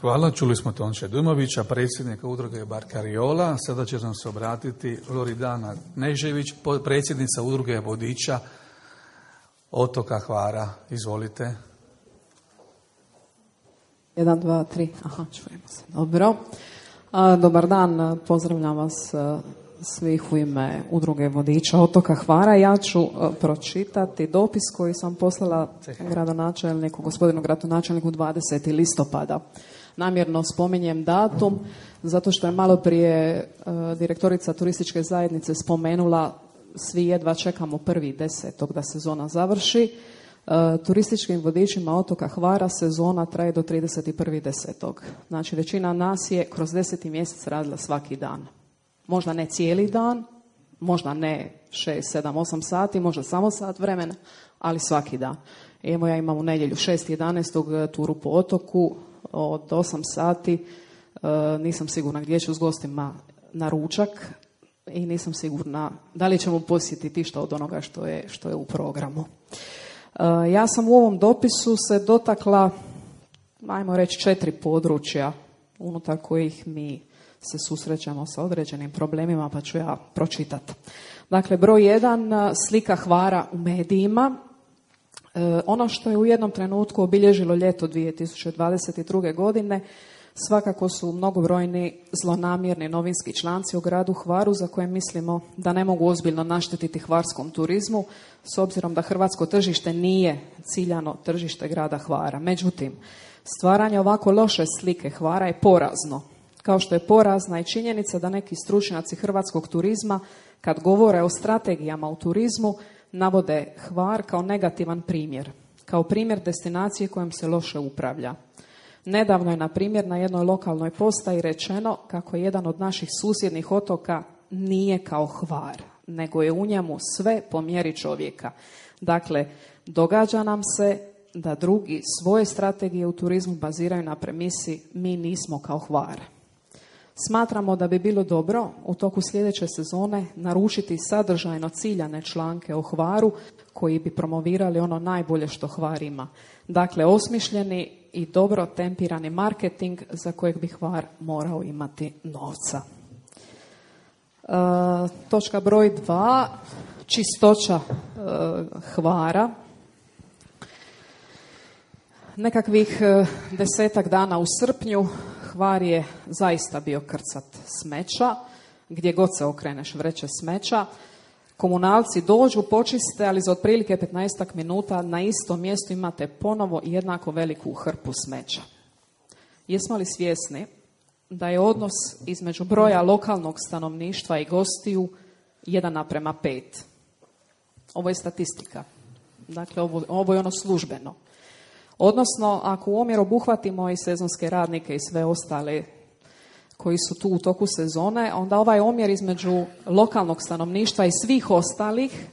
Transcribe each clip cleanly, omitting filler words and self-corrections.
Hvala, čuli smo Tonče Dumovića, predsjednika udruge Barkariola. Sada će nam se obratiti Loridana Nežević, predsjednica udruge vodiča otoka Hvara. Izvolite. 1, 2, 3. Aha, čujemo se. Dobro. Dobar dan, pozdravljam vas svih u ime udruge vodiča otoka Hvara. Ja ću pročitati dopis koji sam poslala gradonačelniku, gospodinu gradonačelniku 20. listopada. Namjerno spominjem datum, zato što je malo prije direktorica turističke zajednice spomenula svi jedva čekamo 1.10. da sezona završi. Turističkim vodičima otoka Hvara sezona traje do 31.10. Znači većina nas je kroz 10. mjesec radila svaki dan. Možda ne cijeli dan, možda ne 6, 7, 8 sati, možda samo sat vremena, ali svaki dan. Evo ja imam u nedjelju 6.11. turu po otoku od 8 sati. Nisam sigurna gdje ću s gostima na ručak i nisam sigurna da li ćemo posjetiti što od onoga što je u programu. Ja sam u ovom dopisu se dotakla, ajmo reći, 4 područja unutar kojih mi se susrećemo sa određenim problemima, pa ću ja pročitati. Dakle, broj 1, slika Hvara u medijima. Ono što je u jednom trenutku obilježilo ljeto 2022. godine svakako su mnogobrojni zlonamjerni novinski članci o gradu Hvaru za koje mislimo da ne mogu ozbiljno naštetiti hvarskom turizmu s obzirom da hrvatsko tržište nije ciljano tržište grada Hvara. Međutim, stvaranje ovako loše slike Hvara je porazno. Kao što je porazna i činjenica da neki stručnjaci hrvatskog turizma kad govore o strategijama u turizmu navode Hvar kao negativan primjer, kao primjer destinacije kojom se loše upravlja. Nedavno je, na primjer, na jednoj lokalnoj postaji rečeno kako jedan od naših susjednih otoka nije kao Hvar, nego je u njemu sve po mjeri čovjeka. Dakle, događa nam se da drugi svoje strategije u turizmu baziraju na premisi mi nismo kao Hvar. Smatramo da bi bilo dobro u toku sljedeće sezone naručiti sadržajno ciljane članke o Hvaru koji bi promovirali ono najbolje što Hvar ima. Dakle, osmišljeni i dobro tempirani marketing za kojeg bi Hvar morao imati novca. Točka broj 2, čistoća Hvara. Nekakvih 10-ak dana u srpnju Hvar je zaista bio krcat smeća, gdje god se okreneš vreće smeća. Komunalci dođu, počiste, ali za otprilike 15 minuta na istom mjestu imate ponovo jednako veliku hrpu smeća. Jesmo li svjesni da je odnos između broja lokalnog stanovništva i gostiju 1:5? Ovo je statistika. Dakle, ovo je ono službeno. Odnosno, ako u omjer obuhvatimo i sezonske radnike i sve ostale koji su tu u toku sezone, onda ovaj omjer između lokalnog stanovništva i svih ostalih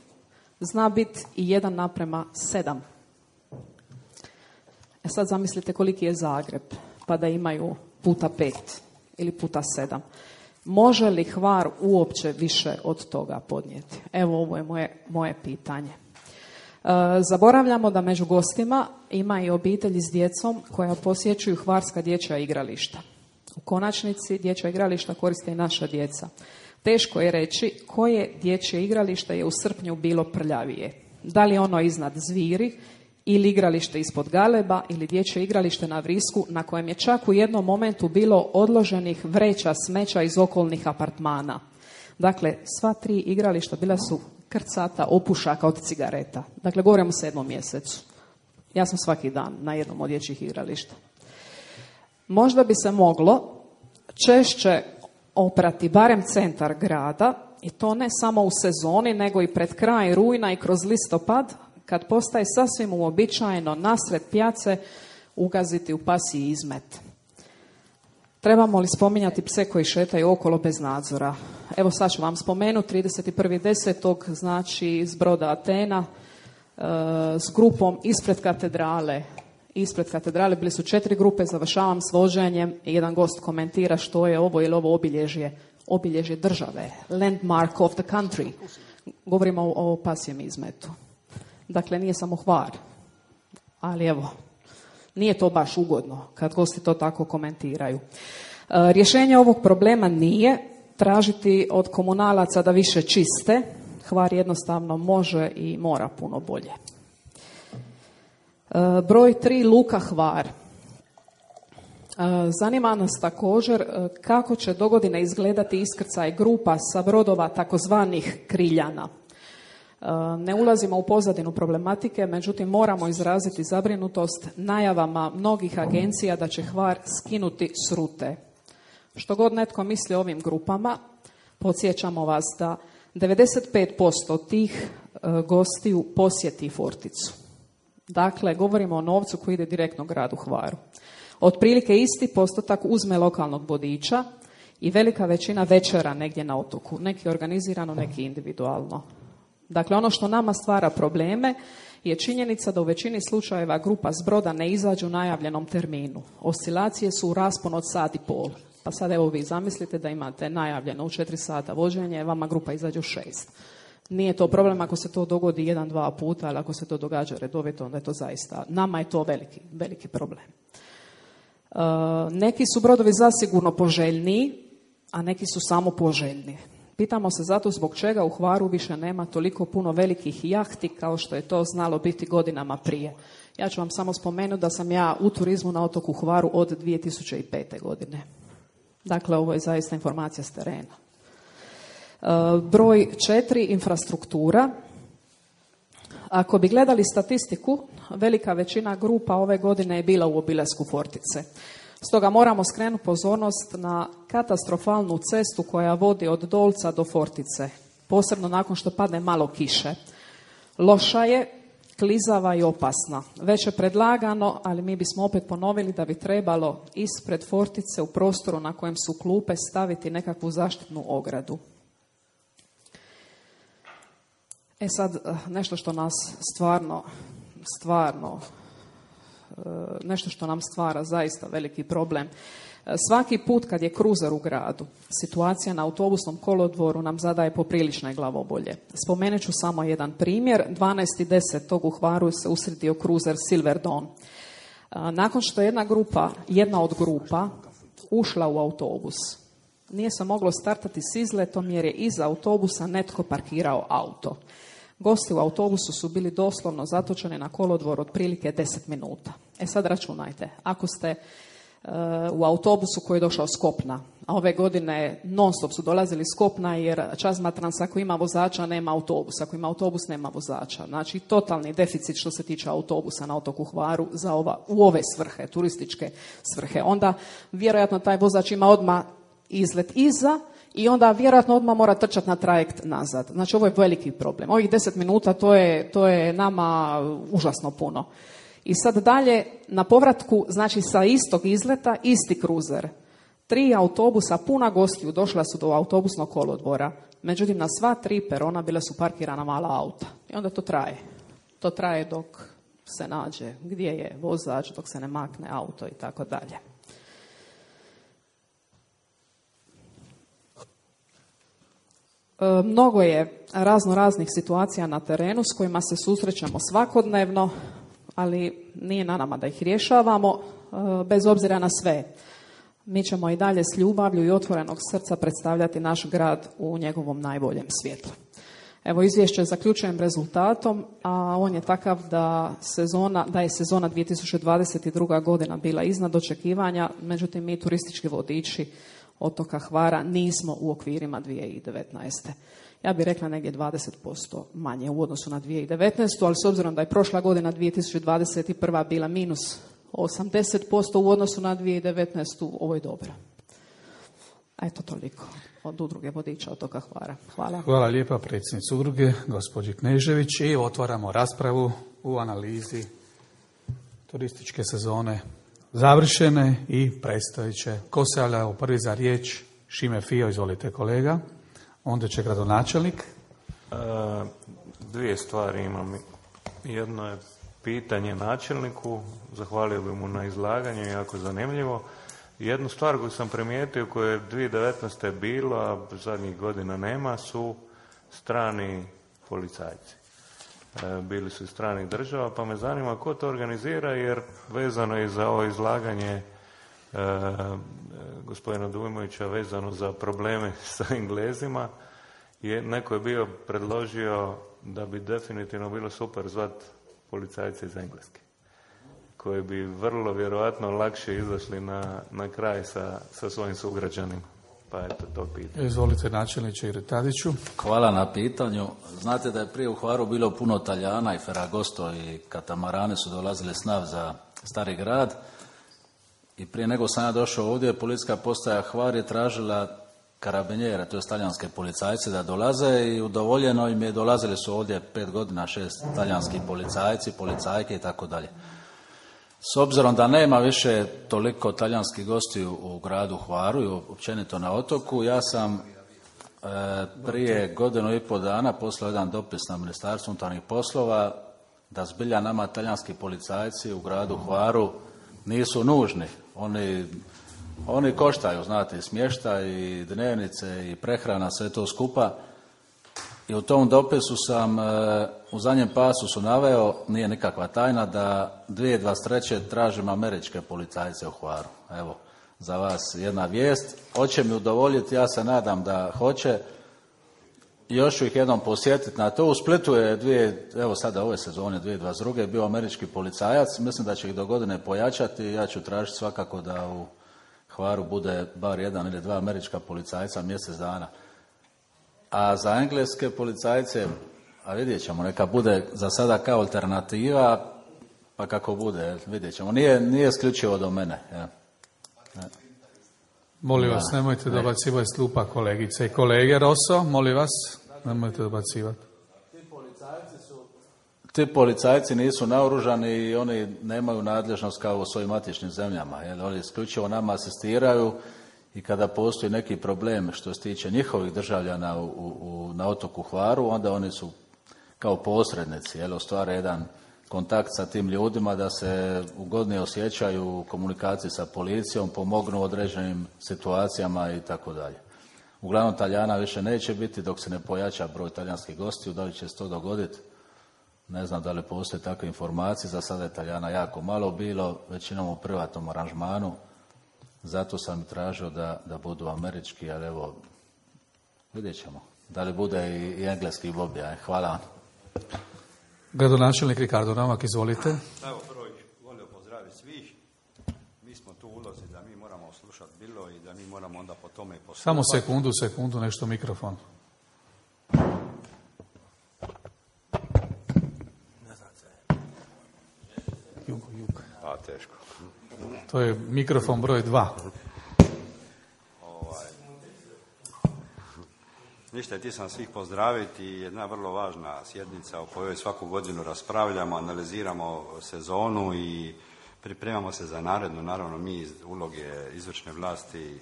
zna biti i 1:7. Sad zamislite koliki je Zagreb, pa da imaju puta 5 ili puta 7. Može li Hvar uopće više od toga podnijeti? Evo, ovo je moje pitanje. Zaboravljamo da među gostima ima i obitelji s djecom koja posjećuju hvarska dječja igrališta. U konačnici dječja igrališta koriste i naša djeca. Teško je reći koje dječje igralište je u srpnju bilo prljavije. Da li ono iznad Zviri ili igralište ispod Galeba ili dječje igralište na Vrisku na kojem je čak u jednom momentu bilo odloženih vreća smeća iz okolnih apartmana. Dakle, sva 3 igrališta bila su krcata opušaka od cigareta. Dakle, govorimo o 7. mjesecu. Ja sam svaki dan na jednom od dječjih igrališta. Možda bi se moglo češće oprati barem centar grada i to ne samo u sezoni nego i pred kraj rujna i kroz listopad kad postaje sasvim uobičajeno nasred pijace ugaziti u pasji izmet. Trebamo li spominjati pse koji šetaju okolo bez nadzora? Evo sad ću vam spomenuti 31.10. znači iz broda Atena s grupom ispred katedrale. Ispred katedrale bili su 4 grupe, završavam s voženjem i jedan gost komentira što je ovo ili ovo obilježje države, landmark of the country. Govorimo o pasjem izmetu. Dakle, nije samo Hvar, ali evo, Nije to baš ugodno kad gosti to tako komentiraju. Rješenje ovog problema nije tražiti od komunalaca da više čiste. Hvar jednostavno može i mora puno bolje. Broj 3, Luka Hvar. Zanima nas također kako će dogodine izgledati iskrcaj grupa sa brodova takozvanih kriljana. Ne ulazimo u pozadinu problematike, međutim moramo izraziti zabrinutost najavama mnogih agencija da će Hvar skinuti s rute. Što god netko misli o ovim grupama, podsjećamo vas da 95% tih gostiju posjeti Forticu. Dakle, govorimo o novcu koji ide direktno gradu Hvaru. Otprilike isti postotak uzme lokalnog vodiča i velika većina večera negdje na otoku. Neki organizirano, neki individualno. Dakle, ono što nama stvara probleme je činjenica da u većini slučajeva grupa s broda ne izađu u najavljenom terminu. Oscilacije su u rasponu od sat i pol. Pa sad evo vi zamislite da imate najavljeno u 4 sata vođenje, vama grupa izađe u 6. Nije to problem ako se to dogodi 1-2 puta, ali ako se to događa redovito, onda je to zaista, nama je to veliki, veliki problem. Neki su brodovi zasigurno poželjniji, a neki su samo poželjni. Pitamo se zato zbog čega u Hvaru više nema toliko puno velikih jahti kao što je to znalo biti godinama prije. Ja ću vam samo spomenuti da sam ja u turizmu na otoku Hvaru od 2005. godine. Dakle, ovo je zaista informacija s terena. Broj 4, infrastruktura. Ako bi gledali statistiku, velika većina grupa ove godine je bila u obilasku Fortice. Stoga moramo skrenuti pozornost na katastrofalnu cestu koja vodi od Dolca do Fortice, posebno nakon što padne malo kiše. Loša je, klizava i opasna. Već je predlagano, ali mi bismo opet ponovili da bi trebalo ispred Fortice u prostoru na kojem su klupe staviti nekakvu zaštitnu ogradu. Sad, nešto što nas stvarno, nešto što nam stvara zaista veliki problem. Svaki put kad je kruzer u gradu, situacija na autobusnom kolodvoru nam zadaje poprilične glavobolje. Spomenut ću samo jedan primjer. 12.10. u Hvaru se usredio kruzer Silver Dawn. Nakon što je jedna od grupa ušla u autobus, nije se moglo startati s izletom jer je iza autobusa netko parkirao auto. Gosti u autobusu su bili doslovno zatočeni na kolodvor otprilike 10 minuta. Sad računajte, ako ste u autobusu koji je došao s kopna, a ove godine non stop su dolazili s kopna jer Čazmatrans ako ima vozača nema autobusa, ako ima autobus nema vozača. Znači totalni deficit što se tiče autobusa na otoku Hvaru u ove svrhe, turističke svrhe. Onda vjerojatno taj vozač ima odmah izlet iza i onda vjerojatno odmah mora trčati na trajekt nazad. Znači ovo je veliki problem. Ovih 10 minuta to je nama užasno puno. I sad dalje, na povratku, znači sa istog izleta, isti kruzer. 3 autobusa puna gostiju došla su do autobusnog kolodvora. Međutim, na sva 3 perona bila su parkirana mala auta. I onda to traje. To traje dok se nađe gdje je vozač, dok se ne makne auto i tako dalje. Mnogo je raznih situacija na terenu s kojima se susrećemo svakodnevno, ali nije na nama da ih rješavamo, bez obzira na sve. Mi ćemo i dalje s ljubavlju i otvorenog srca predstavljati naš grad u njegovom najboljem svjetlu. Evo, izvješće zaključujem rezultatom, a on je takav da je sezona 2022. godina bila iznad očekivanja, međutim mi turistički vodiči otoka Hvara nismo u okvirima 2019. Ja bih rekla negdje 20% manje u odnosu na 2019. Ali s obzirom da je prošla godina 2021. bila minus 80% u odnosu na 2019. ovo je dobro. Eto toliko od udruge vodiča otoka Hvara. Hvala. Hvala lijepa predsjednici udruge, gospođi Knežević. I otvaramo raspravu u analizi turističke sezone završene i predstavit će. Ko se javlja prvi za riječ? Šime Fio, izvolite kolega. Onda će gradonačelnik. 2 stvari imam. Jedno je pitanje načelniku. Zahvalio bi mu na izlaganju, jako zanimljivo. Jednu stvar koju sam primijetio, koju je 2019. bilo, a zadnjih godina nema, su strani policajci. bili su iz stranih država, pa me zanima ko to organizira, jer vezano je za ovo izlaganje gospodina Dujmovića vezano za probleme sa Englezima, neko je bio predložio da bi definitivno bilo super zvat policajce iz Engleske, koji bi vrlo vjerojatno lakše izašli na kraj sa svojim sugrađanima. Pa eto, to pitanje. Izvolite, načelniče Tadiću. Hvala na pitanju. Znate da je prije u Hvaru bilo puno Talijana i Ferragosto i katamarane su dolazile s NAV za Stari grad. I prije nego sam ja došao ovdje, policijska postaja Hvar je tražila karabinjere, to je talijanske policajce, da dolaze i udovoljeno im je, dolazili su ovdje 5 godina 6 talijanski policajci, policajke i tako dalje. S obzirom da nema više toliko talijanskih gostiju u gradu Hvaru i općenito na otoku, ja sam prije 1.5 dana poslao jedan dopis na Ministarstvo unutarnjih poslova da zbilja nama talijanski policajci u gradu Hvaru nisu nužni. Oni koštaju, znate, smještaj i dnevnice i prehrana, sve to skupa. I u tom dopisu sam u zadnjem pasusu naveo, nije nikakva tajna, da 2023. tražim američke policajce u Hvaru. Evo, za vas jedna vijest. Hoće mi udovoljiti, ja se nadam da hoće. Još ću ih jednom posjetiti na to. U Splitu je evo sada ove sezone 2022. bio američki policajac. Mislim da će ih do godine pojačati. Ja ću tražiti svakako da u Hvaru bude bar 1 ili 2 američka policajca mjesec dana. A za engleske policajce, a vidjet ćemo, neka bude za sada kao alternativa, pa kako bude, vidjet ćemo. Nije isključivo do mene. Ja. Molim vas, nemojte dobacivati s klupa, kolegice i kolege. Rosso, molim vas, nemojte dobacivati. Ti policajci nisu naoružani i oni nemaju nadležnost kao u svojim matičnim zemljama. Oni isključivo nama asistiraju i kada postoji neki problem što se tiče njihovih državljana na otoku Hvaru, onda oni su kao posrednici, ostvare jedan kontakt sa tim ljudima da se ugodnije osjećaju u komunikaciji sa policijom, pomognu u određenim situacijama i tako dalje. Uglavnom Talijana više neće biti dok se ne pojača broj talijanskih gostiju. Da li će se to dogoditi? Ne znam da li postoje takve informacije. Za sada je Talijana jako malo bilo, većinom u privatnom aranžmanu. Zato sam tražio da budu američki, ali evo, vidjet ćemo. Da li bude i engleski lobija. Hvala vam. Gradonačelnik Ricardo Novak, izvolite. Evo, prvo volio pozdraviti svih. Mi smo tu ulozi da mi moramo slušati bilo i da mi moramo onda po tome postupati. Samo sekundu, nešto mikrofon. Jug. A, teško. To je mikrofon broj 2. Ništa, ti sam svih pozdraviti. Jedna vrlo važna sjednica o kojoj svaku godinu raspravljamo, analiziramo sezonu i pripremamo se za narednu. Naravno, mi iz uloge izvršne vlasti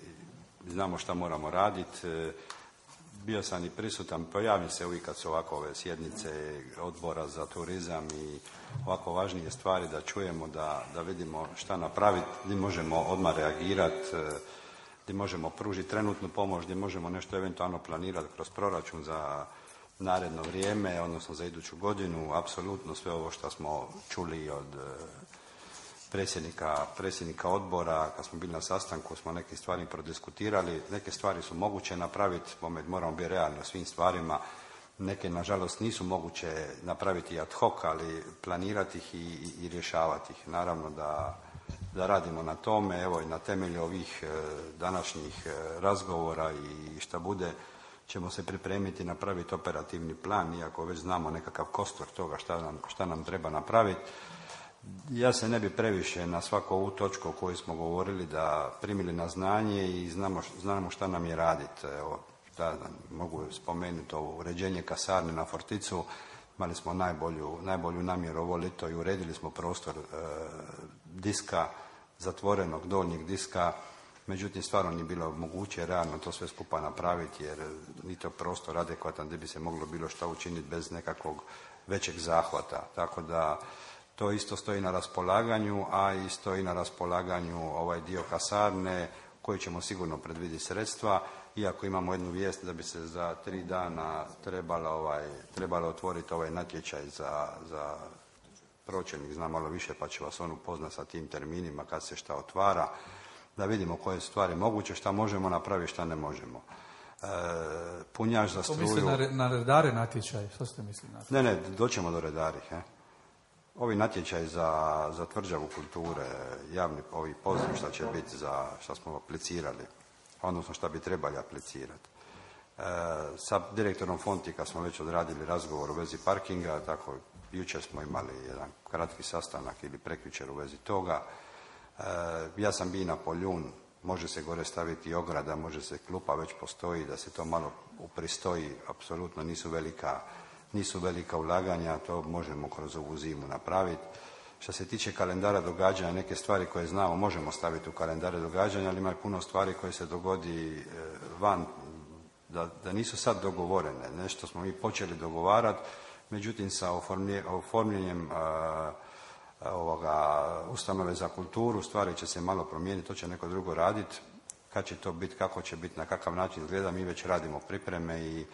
znamo šta moramo raditi. Bio sam i prisutan, pojavim se uvijek kad su ovakove sjednice odbora za turizam i ovako važnije stvari da čujemo, da vidimo šta napraviti, gdje možemo odmah reagirati, gdje možemo pružiti trenutnu pomoć, gdje možemo nešto eventualno planirati kroz proračun za naredno vrijeme, odnosno za iduću godinu. Apsolutno sve ovo što smo čuli od predsjednika odbora, kad smo bili na sastanku, smo neke stvari prodiskutirali. Neke stvari su moguće napraviti, moramo biti realni o svim stvarima. Neke, nažalost, nisu moguće napraviti ad hoc, ali planirati ih i rješavati ih. Naravno da radimo na tome, evo i na temelju ovih današnjih razgovora i šta bude, ćemo se pripremiti, napraviti operativni plan, iako već znamo nekakav kostur toga šta nam treba napraviti. Ja se ne bi previše na svaku ovu točku o kojoj smo govorili da primili na znanje i znamo šta nam je raditi. Evo, mogu spomenuti ovo uređenje kasarne na Forticu. Imali smo najbolju namjeru ovo ljeto i uredili smo prostor diska, zatvorenog donjeg diska. Međutim, stvarno nije bilo moguće realno to sve skupa napraviti jer ni to prostor adekvatan gdje bi se moglo bilo šta učiniti bez nekakvog većeg zahvata. Tako da to isto stoji na raspolaganju, a i stoji na raspolaganju ovaj dio kasarne koji ćemo sigurno predvidjeti sredstva, iako imamo jednu vijest da bi se za 3 dana trebalo otvoriti ovaj natječaj za pročelnik, zna malo više pa će vas on upoznat sa tim terminima kad se šta otvara, da vidimo koje stvari moguće, šta možemo napraviti, šta ne možemo. Punjač za struju... To misli na redare natječaj, što ste mislili na to? Ne, doćemo do redarih. Ovi natječaj za tvrđavu kulture, javni ovi poziv šta će biti za šta smo aplicirali, odnosno šta bi trebali aplicirati. Sa direktorom Fontika smo već odradili razgovor u vezi parkinga, tako jučer smo imali jedan kratki sastanak ili prekjučer u vezi toga. Ja sam bio na Poljun, može se gore staviti ograda, može se klupa, već postoji, da se to malo upristoji, apsolutno nisu velika ulaganja, to možemo kroz ovu zimu napraviti. Što se tiče kalendara događanja, neke stvari koje znamo možemo staviti u kalendare događanja, ali ima i puno stvari koje se dogodi van, da nisu sad dogovorene. Nešto smo mi počeli dogovarati, međutim sa oformljenjem ustanove za kulturu stvari će se malo promijeniti, to će neko drugo raditi. Kad će to biti, kako će biti, na kakav način izgleda, mi već radimo pripreme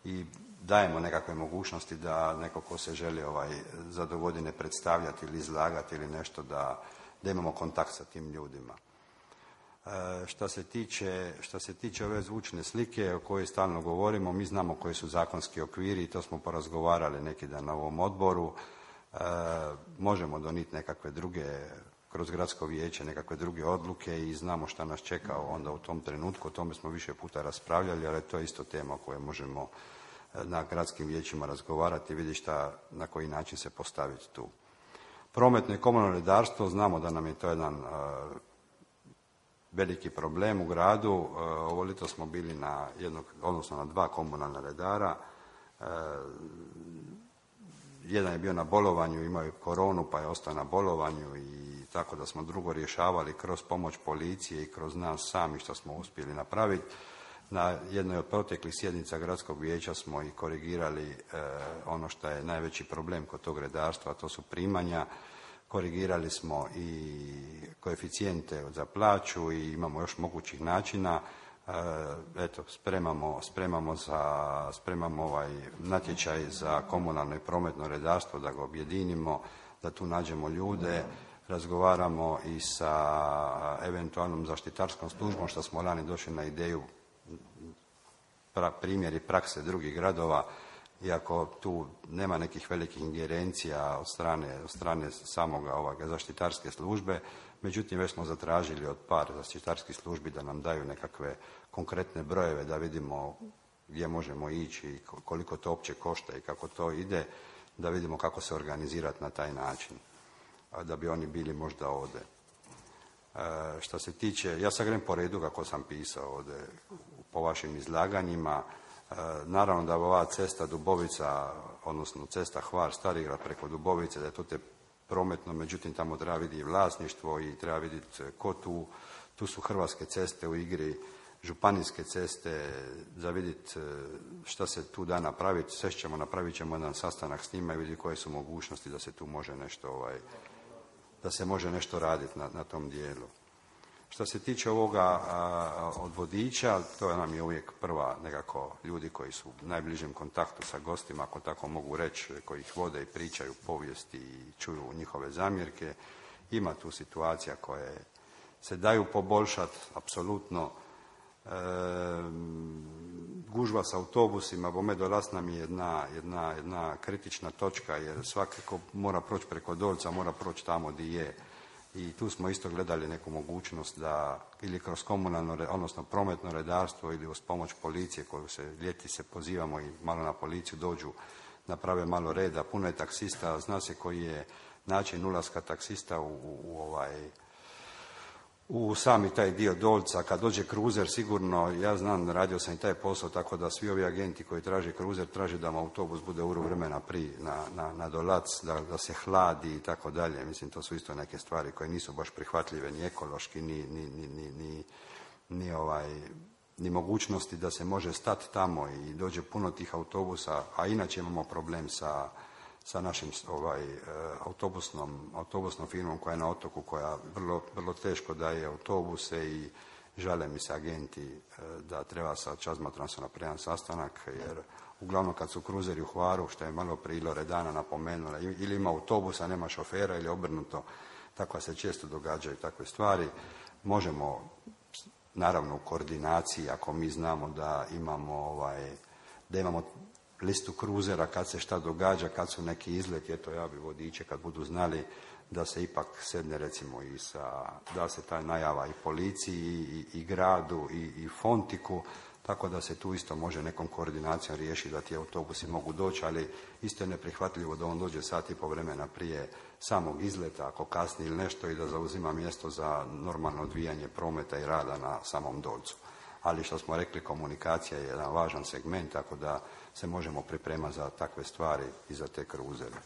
i dajemo nekakve mogućnosti da neko ko se želi za dogodine predstavljati ili izlagati ili nešto, da imamo kontakt sa tim ljudima. Što se tiče ove zvučne slike o kojoj stalno govorimo, mi znamo koji su zakonski okviri i to smo porazgovarali neki dan na ovom odboru. Možemo donijeti nekakve druge, kroz gradsko vijeće, nekakve druge odluke i znamo šta nas čeka onda u tom trenutku. O tome smo više puta raspravljali, ali to je isto tema o kojoj možemo na gradskim vijećima razgovarati i vidjeti na koji način se postaviti tu. Prometno i komunalno redarstvo, znamo da nam je to jedan veliki problem u gradu. Ovo ljeto smo bili na 2 komunalna redara. Jedan je bio na bolovanju, imao je koronu pa je ostao na bolovanju i tako da smo drugo rješavali kroz pomoć policije i kroz nas sami što smo uspjeli napraviti. Na jednoj od proteklih sjednica gradskog vijeća smo i korigirali ono što je najveći problem kod tog redarstva, a to su primanja. Korigirali smo i koeficijente za plaću i imamo još mogućih načina. Spremamo natječaj za komunalno i prometno redarstvo, da ga objedinimo, da tu nađemo ljude. Razgovaramo i sa eventualnom zaštitarskom službom, što smo lani došli na ideju, primjeri prakse drugih gradova, iako tu nema nekih velikih ingerencija od strane samoga zaštitarske službe, međutim već smo zatražili od par zaštitarskih službi da nam daju nekakve konkretne brojeve, da vidimo gdje možemo ići i koliko to uopće košta i kako to ide, da vidimo kako se organizirati na taj način, da bi oni bili možda ovdje. Što se tiče, ja sad grem po redu kako sam pisao ovdje po vašim izlaganjima. Naravno da ova cesta Dubovica, odnosno cesta Hvar-Starigrad preko Dubovice, da je to prometno, međutim tamo treba vidjeti vlasništvo i treba vidjeti ko tu su Hrvatske ceste u igri, županijske ceste, za vidjeti šta se tu da napraviti. Sve ćemo, napravit ćemo jedan sastanak s njima i vidjeti koje su mogućnosti da se tu može nešto, da se može nešto raditi na tom dijelu. Što se tiče ovoga od vodiča, to nam je uvijek prva nekako ljudi koji su u najbližem kontaktu sa gostima, ako tako mogu reći, koji ih vode i pričaju povijesti i čuju njihove zamjerke. Ima tu situacija koje se daju poboljšati, apsolutno. Gužva s autobusima, bome dolaz nam je jedna kritična točka, jer svakako mora proći preko Dolca, mora proći tamo gdje je. I tu smo isto gledali neku mogućnost da ili kroz komunalno, odnosno prometno redarstvo ili uz pomoć policije koju ljeti se pozivamo i malo na policiju dođu, naprave malo reda. Puno je taksista, zna se koji je način ulaska taksista u sami taj dio Dolca. Kad dođe kruzer, sigurno, ja znam, radio sam i taj posao, tako da svi ovi agenti koji traže kruzer, traže da mu autobus bude uro vremena prije na dolac, da se hladi i tako dalje. Mislim, to su isto neke stvari koje nisu baš prihvatljive ni ekološki, ni mogućnosti da se može stati tamo i dođe puno tih autobusa, a inače imamo problem sa našim autobusnom firmom koja je na otoku, koja vrlo teško daje autobuse žale mi se agenti da treba sa Čazmatrom se napraviti sastanak, jer uglavnom kad su kruzeri u Hvaru, što je malo prije Loredana napomenula, ili ima autobusa, nema šofera, ili obrnuto, tako se često događaju takve stvari. Možemo, naravno u koordinaciji, ako mi znamo da imamo listu kruzera, kad se šta događa, kad su neki izleti, eto ja bi vodiče kad budu znali da se ipak sedne recimo da se ta najava i policiji i gradu i Fontiku, tako da se tu isto može nekom koordinacijom riješiti da ti autobusi mogu doći, ali isto je neprihvatljivo da on dođe sat i po vremena prije samog izleta, ako kasni ili nešto, i da zauzima mjesto za normalno odvijanje prometa i rada na samom Dolcu. Ali što smo rekli, komunikacija je jedan važan segment, tako da se možemo pripremati za takve stvari i za te kruzere.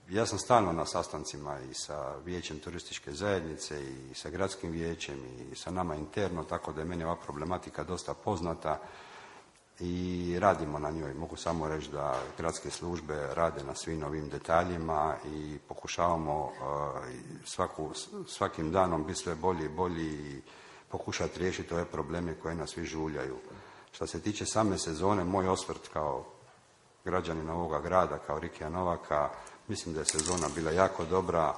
Ja sam stalno na sastancima i sa vijećem turističke zajednice i sa gradskim vijećem i sa nama interno, tako da je meni ova problematika dosta poznata i radimo na njoj. Mogu samo reći da gradske službe rade na svim ovim detaljima i pokušavamo svakim danom biti sve bolji i bolji i pokušati riješiti ove probleme koje nas svi žuljaju. Što se tiče same sezone, moj osvrt kao građanina ovoga grada, kao Rikija Novaka, mislim da je sezona bila jako dobra,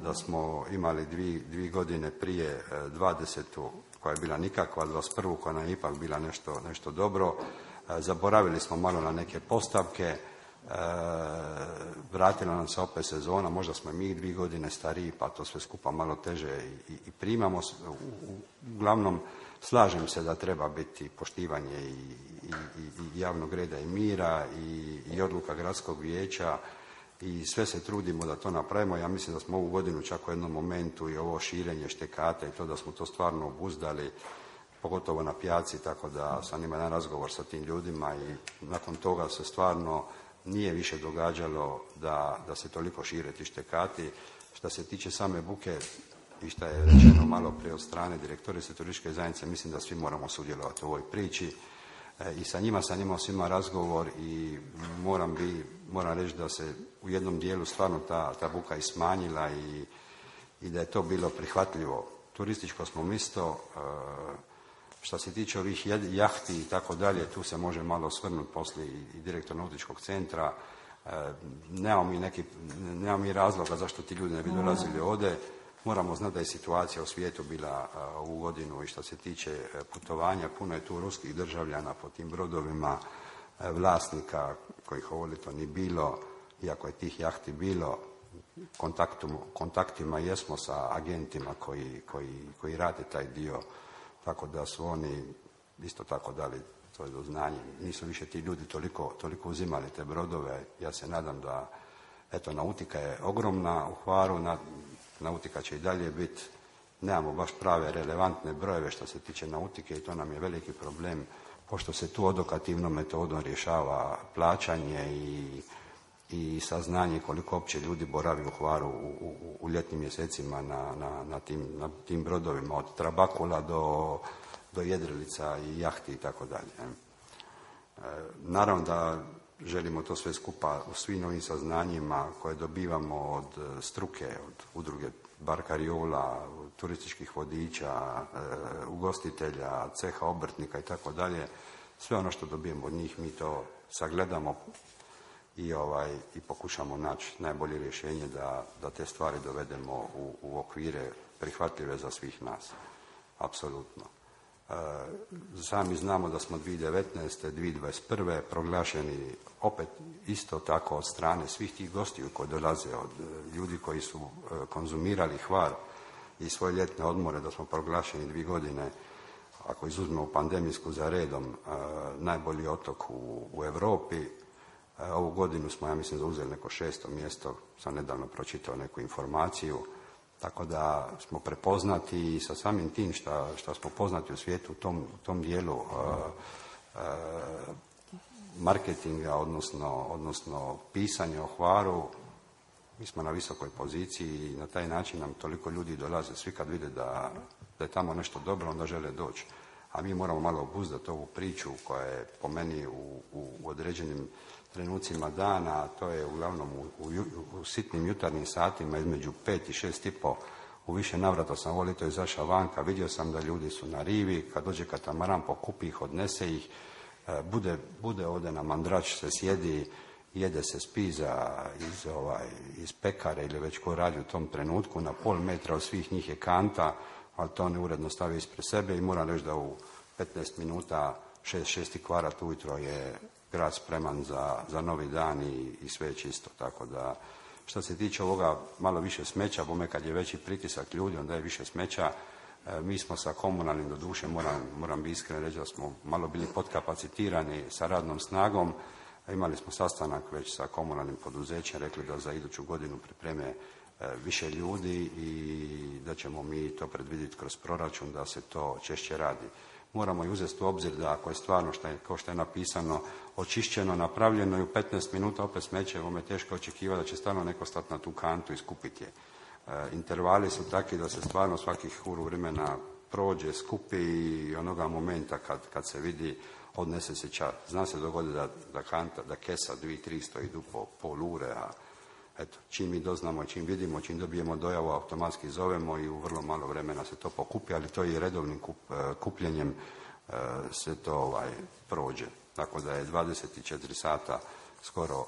da smo imali dvije godine prije 20. koja je bila nikakva, 21. koja nam je ipak bila nešto dobro. Zaboravili smo malo na neke postavke, vratila nam se opet sezona, možda smo mi 2 godine stariji, pa to sve skupa malo teže i primamo. Uglavnom, slažem se da treba biti poštivanje i javnog reda i mira i odluka gradskog vijeća i sve se trudimo da to napravimo. Ja mislim da smo ovu godinu čak u jednom momentu i ovo širenje štekata i to da smo to stvarno obuzdali, pogotovo na pijaci, tako da sam imao jedan razgovor sa tim ljudima i nakon toga se stvarno nije više događalo da se toliko šire ti štekati. Što se tiče same buke i što je rečeno malo prije od strane direktorice turističke zajednice, mislim da svi moramo sudjelovati u ovoj priči. I sa njima sam imao svima razgovor i moram reći da se u jednom dijelu stvarno ta buka i smanjila i da je to bilo prihvatljivo. Turističko smo mjesto, što se tiče ovih jahti i tako dalje, tu se može malo osvrnuti poslije i direktor nautičkog centra. Nemamo mi razloga zašto ti ljudi ne bi dolazili ovdje. Moramo znati da je situacija u svijetu bila ovu godinu i što se tiče putovanja, puno je tu ruskih državljana po tim brodovima, vlasnika kojih ovolito ni bilo, iako je tih jahti bilo, kontaktima jesmo sa agentima koji rade taj dio, tako da su oni isto tako dali to do znanja. Nisu više ti ljudi toliko uzimali te brodove. Ja se nadam da, eto, nautika je ogromna u Hvaru, nautika će i dalje biti, nemamo baš prave relevantne brojeve što se tiče nautike i to nam je veliki problem, pošto se tu odokativnom metodom rješava plaćanje i saznanje koliko opće ljudi boravi u Hvaru u ljetnim mjesecima na tim brodovima, od Trabakula do Jedrilica i jahti i tako dalje. Naravno da želimo to sve skupa u svim novim saznanjima koje dobivamo od struke, od udruge barkariola, turističkih vodiča, ugostitelja, ceha obrtnika i tako dalje. Sve ono što dobijemo od njih mi to sagledamo i pokušamo naći najbolje rješenje da te stvari dovedemo u okvire prihvatljive za svih nas. Apsolutno. Sami znamo da smo 2019. 2021. proglašeni opet isto tako od strane svih tih gostiju koji dolaze, od ljudi koji su konzumirali Hvar i svoje ljetne odmore, da smo proglašeni 2 godine, ako izuzmemo pandemijsku za redom, najbolji otok u Europi. Ovu godinu smo, ja mislim, zauzeli neko 6. mjesto, sam nedavno pročitao neku informaciju. Tako da smo prepoznati i sa samim tim što smo poznati u svijetu u tom dijelu marketinga, odnosno pisanja o Hvaru, mi smo na visokoj poziciji i na taj način nam toliko ljudi dolaze. Svi kad vide da je tamo nešto dobro, onda žele doći. A mi moramo malo obuzdati ovu priču koja je po meni u određenim trenucima dana, to je uglavnom u sitnim jutarnjim satima između 5 i 6 i po U više navrata sam ovo ljeto izašao vanka, vidio sam da ljudi su na rivi, kad dođe katamaran pokupi ih, odnese ih, bude ovdje na mandrač, se sjedi, jede se spiza iz pekare ili već ko radi u tom trenutku, na pol metra od svih njih je kanta, ali to oni uredno stavi ispred sebe i moram reći da u 15 minuta 6 kvara ujutro je grad spreman za novi dan i sve je čisto. Tako da, što se tiče ovoga malo više smeća, bome kad je veći pritisak ljudi, onda je više smeća. Mi smo sa komunalnim, doduše moram biti iskren reći da smo malo bili podkapacitirani sa radnom snagom. Imali smo sastanak već sa komunalnim poduzećem, rekli da za iduću godinu pripreme više ljudi i da ćemo mi to predvidjeti kroz proračun da se to češće radi. Moramo i uzeti u obzir da ako je stvarno, kao što je napisano, očišćeno, napravljeno i u 15 minuta opet smeće, ovo me teško očekivati da će stalno neko stati na tu kantu i skupiti je. Intervali su takvi da se stvarno svakih uru vremena prođe, skupi i onoga momenta kad se vidi odnese se čar. Zna se dogodi da kesa 2-3 stoji po pol ure, a eto, čim mi doznamo, čim vidimo, čim dobijemo dojavu, automatski zovemo i u vrlo malo vremena se to pokupi, ali to i redovnim kupljenjem se to prođe. Tako da je 24 sata skoro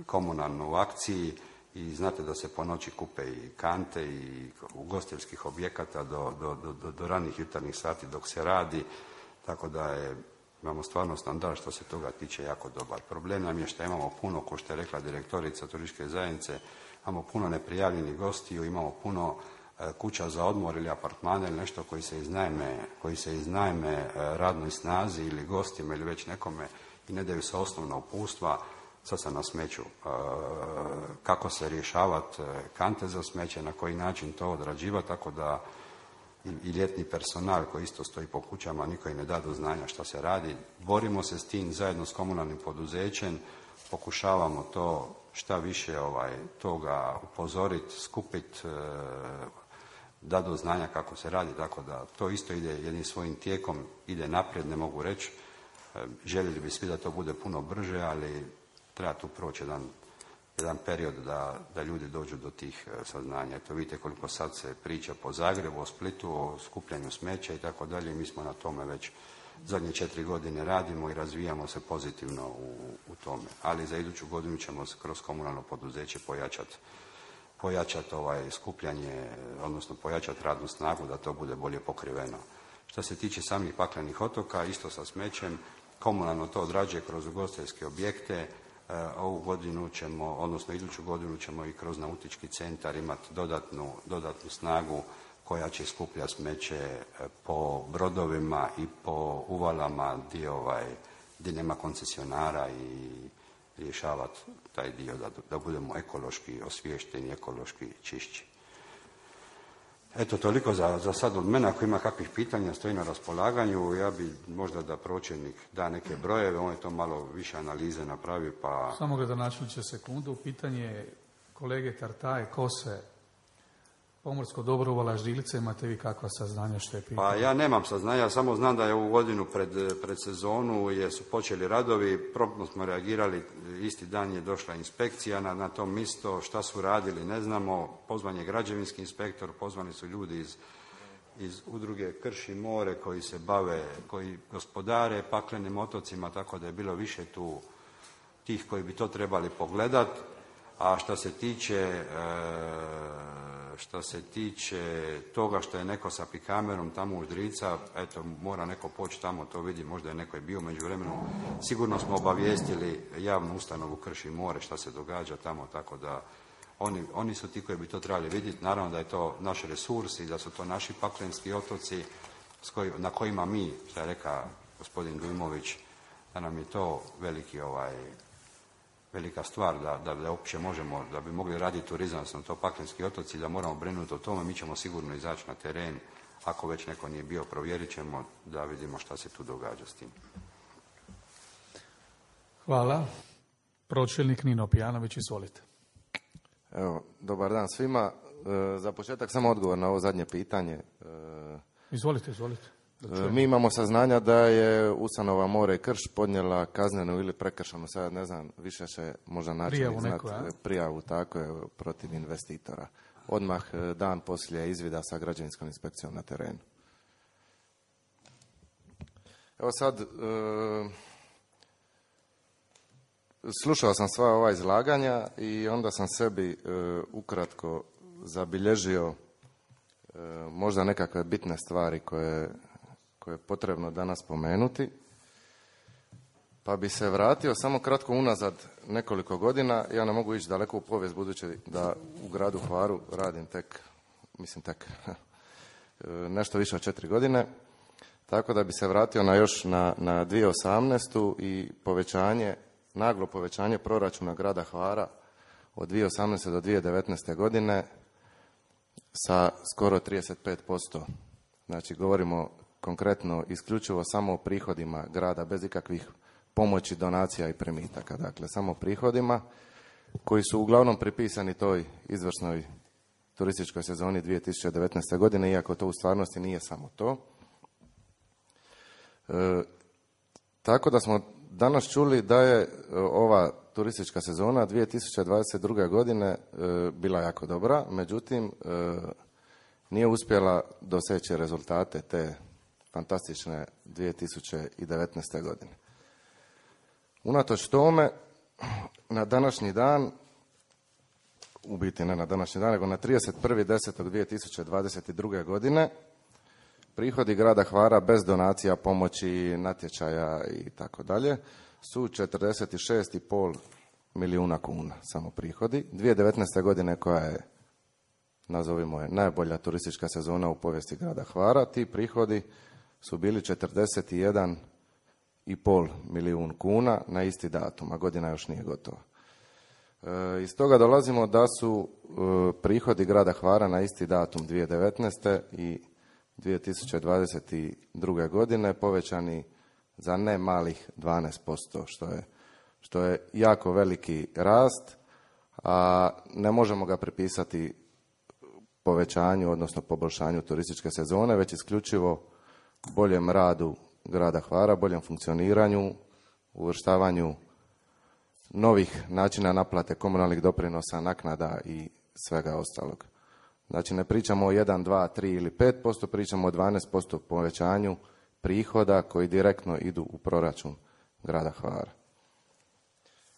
komunalno u akciji i znate da se po noći kupe i kante i ugostiteljskih objekata do ranih jutarnjih sati dok se radi, tako da imamo stvarno standard što se toga tiče jako dobar. Problem nam je što imamo puno, kao što je rekla direktorica turističke zajednice, imamo puno neprijavljenih gostiju, imamo puno kuća za odmor ili apartmane ili nešto koji se iznajme radnoj snazi ili gostima ili već nekome i ne daju se osnovna uputstva. Sad sam na smeću. Kako se rješavati kante za smeće, na koji način to odrađivati, tako da i ljetni personal koji isto stoji po kućama, niko im ne da do znanja šta se radi. Borimo se s tim zajedno s komunalnim poduzećem, pokušavamo to šta više toga upozoriti, skupiti, da do znanja kako se radi, tako da to isto ide jednim svojim tijekom, ide naprijed, ne mogu reći. Željeli bi svi da to bude puno brže, ali treba tu proći jedan period da ljudi dođu do tih saznanja. Eto, vidite koliko sad se priča po Zagrebu, o Splitu, o skupljanju smeća i tako dalje. Mi smo na tome već zadnje 4 godine radimo i razvijamo se pozitivno u tome. Ali za iduću godinu ćemo kroz komunalno poduzeće pojačati skupljanje, odnosno pojačati radnu snagu da to bude bolje pokriveno. Što se tiče samih paklenih otoka, isto sa smećem, komunalno to odrađuje kroz ugostiteljske objekte. Ovu godinu ćemo, odnosno iduću godinu ćemo i kroz nautički centar imati dodatnu snagu koja će skupljati smeće po brodovima i po uvalama gdje nema koncesionara i rješavati taj dio da budemo ekološki osviješteni, ekološki čišći. Eto, toliko za sad od mene. Ako ima kakvih pitanja, stoji na raspolaganju. Ja bi možda da pročelnik da neke brojeve, on je to malo više analize napravi, pa... Samo gradonačelniče sekundu, pitanje kolege Tartaje, Kose, pomorsko dobro, Uvala, Ždilice, imate vi kakva saznanja što je pitanje? Pa ja nemam saznanja, samo znam da je ovu godinu pred sezonu su počeli radovi, promptno smo reagirali, isti dan je došla inspekcija na to mjesto, šta su radili ne znamo, pozvan je građevinski inspektor, pozvani su ljudi iz udruge Krš i more koji se bave, koji gospodare paklenim otocima, tako da je bilo više tu tih koji bi to trebali pogledati. A što se tiče toga što je neko sa pikamerom tamo u Ždrica, eto, mora neko poći tamo, to vidi, možda je neko bio među vremenu. Sigurno smo obavijestili javnu ustanovu Krš i more šta se događa tamo, tako da oni su ti koji bi to trebali vidjeti. Naravno da je to naš resurs i da su to naši paklenski otoci na kojima mi, što je rekao gospodin Dujmović, da nam je to velika stvar da uopće možemo, da bi mogli raditi turizam, odnosno to paklenski otoci, da moramo brinuti o tome. Mi ćemo sigurno izaći na teren, ako već neko nije bio, provjerit ćemo da vidimo šta se tu događa s tim. Hvala. Pročelnik Nino Pijanović, izvolite. Evo, dobar dan svima. Za početak samo odgovor na ovo zadnje pitanje. Izvolite. Mi imamo saznanja da je ustanova More i Krš podnijela kaznenu ili prekršajnu, sad ne znam, više će možda naći prijavu tako je, protiv investitora. odmah dan poslije izvida sa građevinskom inspekcijom na terenu. Evo sad, slušao sam sva ova izlaganja i onda sam sebi ukratko zabilježio možda nekakve bitne stvari koje je potrebno danas spomenuti. Pa bi se vratio samo kratko unazad nekoliko godina. Ja ne mogu ići daleko u povijest budući da u gradu Hvaru radim tek nešto više od 4 godine. Tako da bi se vratio na 2018. i naglo povećanje proračuna grada Hvara od 2018. do 2019. godine sa skoro 35%. Znači govorimo konkretno isključivo samo o prihodima grada bez ikakvih pomoći, donacija i primitaka. Dakle, samo prihodima koji su uglavnom pripisani toj izvrsnoj turističkoj sezoni 2019. godine, iako to u stvarnosti nije samo to. Tako da smo danas čuli da je ova turistička sezona 2022. godine bila jako dobra, međutim nije uspjela doseći rezultate te fantastične 2019. godine. Unatoč tome, na današnji dan, u biti ne na današnji dan, nego na 31.10.2022. godine, prihodi grada Hvara bez donacija, pomoći, natječaja i tako dalje su 46,5 milijuna kuna samo prihodi. 2019. godine koja je, nazovimo je, najbolja turistička sezona u povijesti grada Hvara, ti prihodi su bili 41,5 milijun kuna na isti datum, a godina još nije gotova. Iz toga dolazimo da su prihodi grada Hvara na isti datum 2019. i 2022. godine povećani za ne malih 12%, što je jako veliki rast, a ne možemo ga pripisati povećanju, odnosno poboljšanju turističke sezone, već isključivo boljem radu grada Hvara, boljem funkcioniranju, uvrštavanju novih načina naplate komunalnih doprinosa, naknada i svega ostalog. Znači ne pričamo o 1, 2, 3 ili 5%, pričamo o 12% povećanju prihoda koji direktno idu u proračun grada Hvara.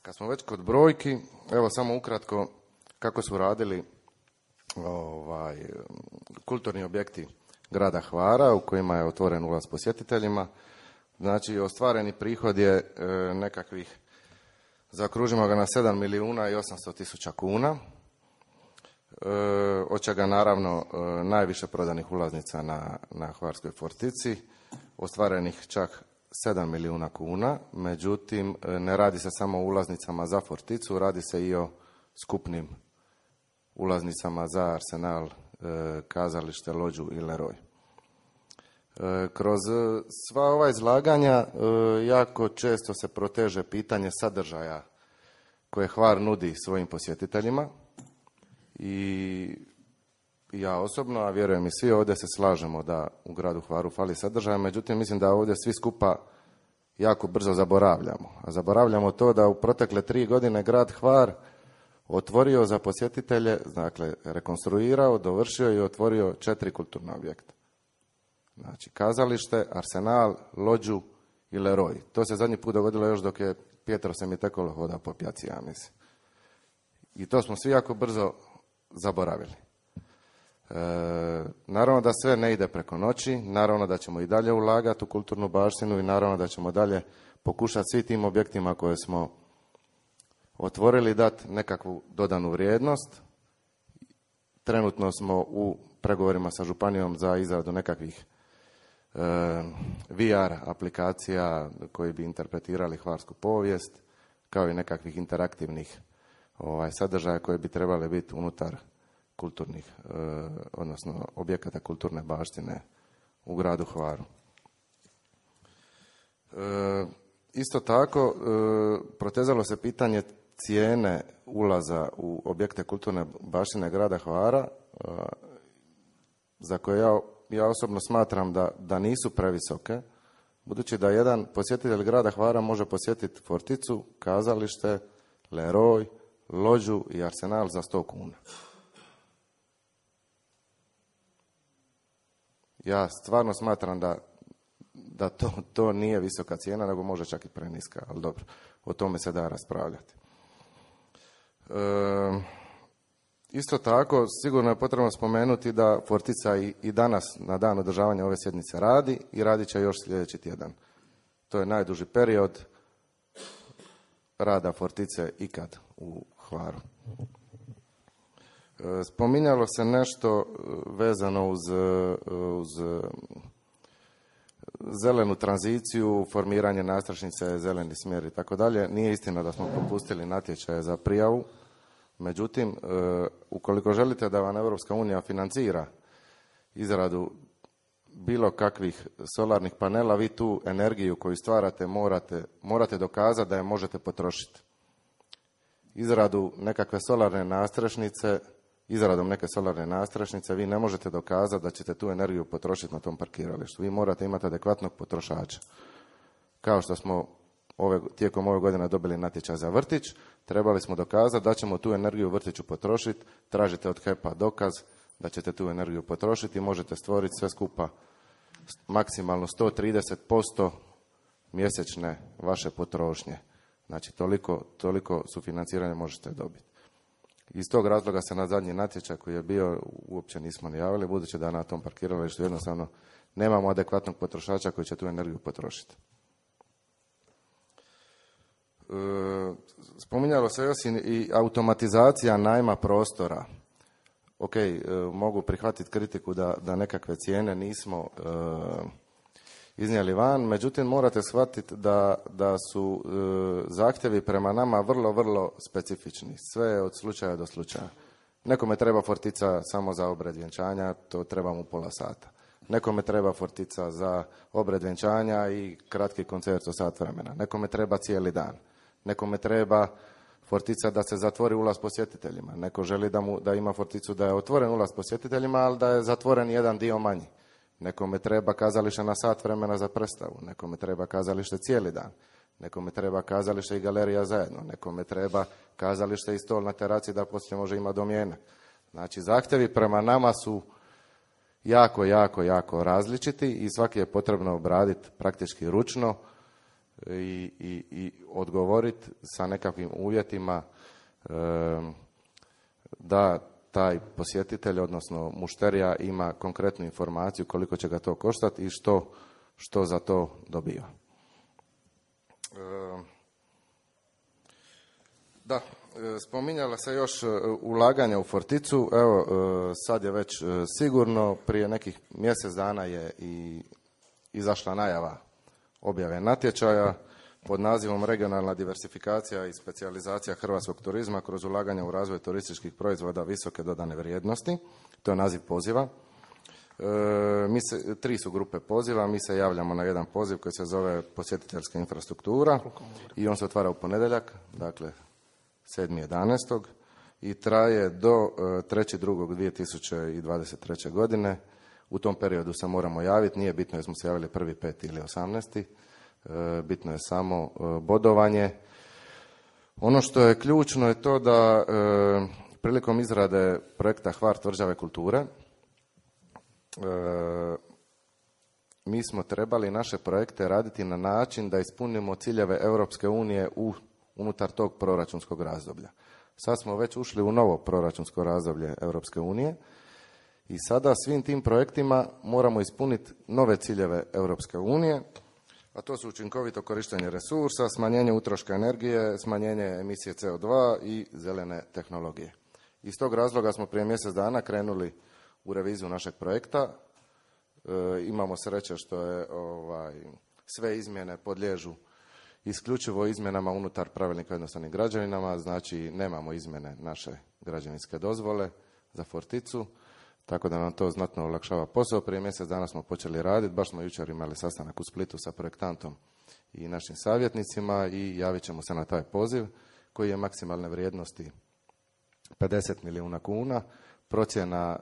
Kad smo već kod brojki, evo samo ukratko kako su radili kulturni objekti grada Hvara u kojima je otvoren ulaz posjetiteljima. Znači ostvareni prihod je nekakvih, zaokružimo ga na 7 milijuna i 800 tisuća kuna, od čega naravno najviše prodanih ulaznica na Hvarskoj fortici, ostvarenih čak 7 milijuna kuna, međutim ne radi se samo o ulaznicama za forticu, radi se i o skupnim ulaznicama za Arsenal, kazalište, lođu i Leroy. Kroz sva ova izlaganja jako često se proteže pitanje sadržaja koje Hvar nudi svojim posjetiteljima i ja osobno, a vjerujem i svi ovdje se slažemo da u gradu Hvaru fali sadržaja, međutim mislim da ovdje svi skupa jako brzo zaboravljamo. A zaboravljamo to da u protekle 3 godine grad Hvar otvorio za posjetitelje, dakle rekonstruirao, dovršio i otvorio 4 kulturna objekta. Znači kazalište, Arsenal, lođu i Leroy. To se zadnji put dogodilo još dok je Pietro Semitekolo hodao po pjaci, ja mislim. I to smo svi jako brzo zaboravili. Naravno da sve ne ide preko noći, naravno da ćemo i dalje ulagati u kulturnu baštinu i naravno da ćemo dalje pokušati svi tim objektima koje smo otvorili dati nekakvu dodanu vrijednost. Trenutno smo u pregovorima sa županijom za izradu nekakvih VR aplikacija koji bi interpretirali hvarsku povijest, kao i nekakvih interaktivnih sadržaja koji bi trebali biti unutar kulturnih, odnosno objekata kulturne baštine u gradu Hvaru. Isto tako, protezalo se pitanje cijene ulaza u objekte kulturne baštine grada Hvara, za koje ja osobno smatram da nisu previsoke, budući da jedan posjetitelj grada Hvara može posjetiti forticu, kazalište, Leroy, lođu i Arsenal za 100 kuna. Ja stvarno smatram da to nije visoka cijena, nego može čak i preniska, ali dobro, o tome se da raspravljati. Isto tako, sigurno je potrebno spomenuti da Fortica i danas na dan održavanja ove sjednice radi i radit će još sljedeći tjedan. To je najduži period rada Fortice ikad u Hvaru. Spominjalo se nešto vezano uz zelenu tranziciju, formiranje nastrašnice, zeleni smjer i tako dalje. Nije istina da smo propustili natječaje za prijavu. Međutim, ukoliko želite da vam Europska unija financira izradu bilo kakvih solarnih panela, vi tu energiju koju stvarate morate dokazati da je možete potrošiti. Izradom neke solarne nastrešnice vi ne možete dokazati da ćete tu energiju potrošiti na tom parkiralištu. Vi morate imati adekvatnog potrošača. Kao što smo tijekom ove godine dobili natječaj za vrtić, trebali smo dokazati da ćemo tu energiju u vrtiću potrošiti, tražite od HEP-a dokaz da ćete tu energiju potrošiti i možete stvoriti sve skupa maksimalno 130% mjesečne vaše potrošnje. Znači toliko sufinanciranja možete dobiti. Iz tog razloga se na zadnji natječaj koji je bio uopće nismo najavili, budući da na tom parkiralištu jednostavno nemamo adekvatnog potrošača koji će tu energiju potrošiti. Spominjalo se još i automatizacija najma prostora. Ok, mogu prihvatiti kritiku da nekakve cijene nismo iznijeli van, međutim morate shvatiti da su zahtjevi prema nama vrlo, vrlo specifični. Sve od slučaja do slučaja. Nekome treba Fortica samo za obred vjenčanja, to treba mu pola sata. Nekome treba Fortica za obred vjenčanja i kratki koncert od sat vremena. Nekome treba cijeli dan. Nekome treba Fortica da se zatvori ulaz posjetiteljima. Neko želi da ima Forticu da je otvoren ulaz posjetiteljima, ali da je zatvoren jedan dio manji. Nekome treba kazalište na sat vremena za predstavu. Nekome treba kazalište cijeli dan. Nekome treba kazalište i galerija zajedno. Nekome treba kazalište i stol na teraci da poslije može imati domjenak. Znači, zahtjevi prema nama su jako, jako, jako različiti i svaki je potrebno obraditi praktički ručno i odgovoriti sa nekakvim uvjetima da taj posjetitelj, odnosno mušterija, ima konkretnu informaciju koliko će ga to koštati i što za to dobiva. Da, spominjala se još ulaganja u Forticu. Evo, sad je već sigurno, prije nekih mjesec dana je i izašla najava objave natječaja pod nazivom Regionalna diversifikacija i specijalizacija hrvatskog turizma kroz ulaganja u razvoj turističkih proizvoda visoke dodane vrijednosti. To je naziv poziva. Tri su grupe poziva, mi se javljamo na jedan poziv koji se zove posjetiteljska infrastruktura i on se otvara u ponedjeljak, dakle 7.11. i traje do 3.2.2023. godine. U tom periodu se moramo javiti, nije bitno jesmo se javili 1.5. ili 18. Bitno je samo bodovanje. Ono što je ključno je to da prilikom izrade projekta Hvar tvrđave kulture mi smo trebali naše projekte raditi na način da ispunimo ciljeve Europske unije unutar tog proračunskog razdoblja. Sad smo već ušli u novo proračunsko razdoblje Europske unije i sada svim tim projektima moramo ispuniti nove ciljeve Europske unije, a to su učinkovito korištenje resursa, smanjenje utroška energije, smanjenje emisije CO2 i zelene tehnologije. Iz tog razloga smo prije mjesec dana krenuli u reviziju našeg projekta. Imamo sreće što je sve izmjene podliježu isključivo izmjenama unutar pravilnika o jednostavnim građevinama, znači nemamo izmjene naše građevinske dozvole za Forticu, tako da nam to znatno olakšava posao. Prije mjesec dana smo počeli raditi, baš smo jučer imali sastanak u Splitu sa projektantom i našim savjetnicima i javit ćemo se na taj poziv koji je maksimalne vrijednosti 50 milijuna kuna. Procjena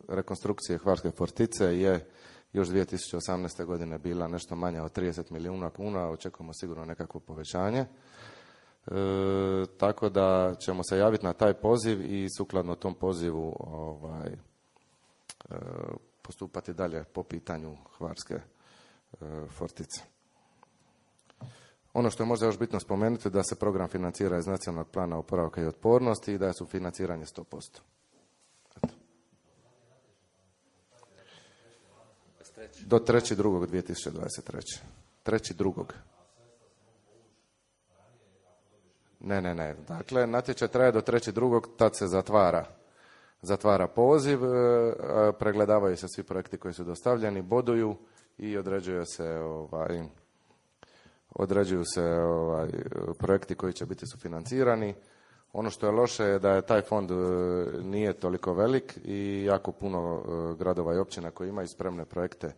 rekonstrukcije Hvarske Fortice je još 2018. godine bila nešto manja od 30 milijuna kuna, očekujemo sigurno nekakvo povećanje. Tako da ćemo se javiti na taj poziv i sukladno tom pozivu postupati dalje po pitanju Hvarske fortice. Ono što je možda još bitno spomenuti da se program financira iz Nacionalnog plana oporavka i otpornosti i da je sufinanciranje 100%. Eto. Do 3.2.2023. 3.2. Ne. Dakle, natječaj traje do 3.2. Tad se zatvara poziv, pregledavaju se svi projekti koji su dostavljeni, boduju i određuju se projekti koji će biti sufinancirani. Ono što je loše je da je taj fond nije toliko velik i jako puno gradova i općina koji imaju spremne projekte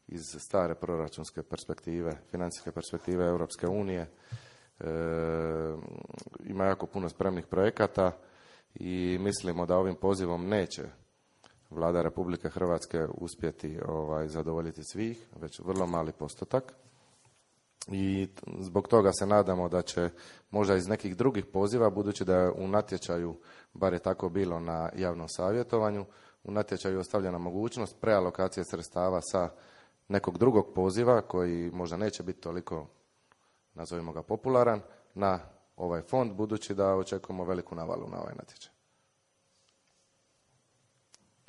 iz stare proračunske perspektive, financijske perspektive Europske unije. Ima jako puno spremnih projekata i mislimo da ovim pozivom neće Vlada Republike Hrvatske uspjeti zadovoljiti svih, već vrlo mali postotak. I zbog toga se nadamo da će možda iz nekih drugih poziva, budući da je u natječaju, bar je tako bilo na javnom savjetovanju, u natječaju ostavljena mogućnost prealokacije sredstava sa nekog drugog poziva koji možda neće biti toliko, nazovimo ga, popularan, na ovaj fond, budući da očekujemo veliku navalu na ovaj natječaj.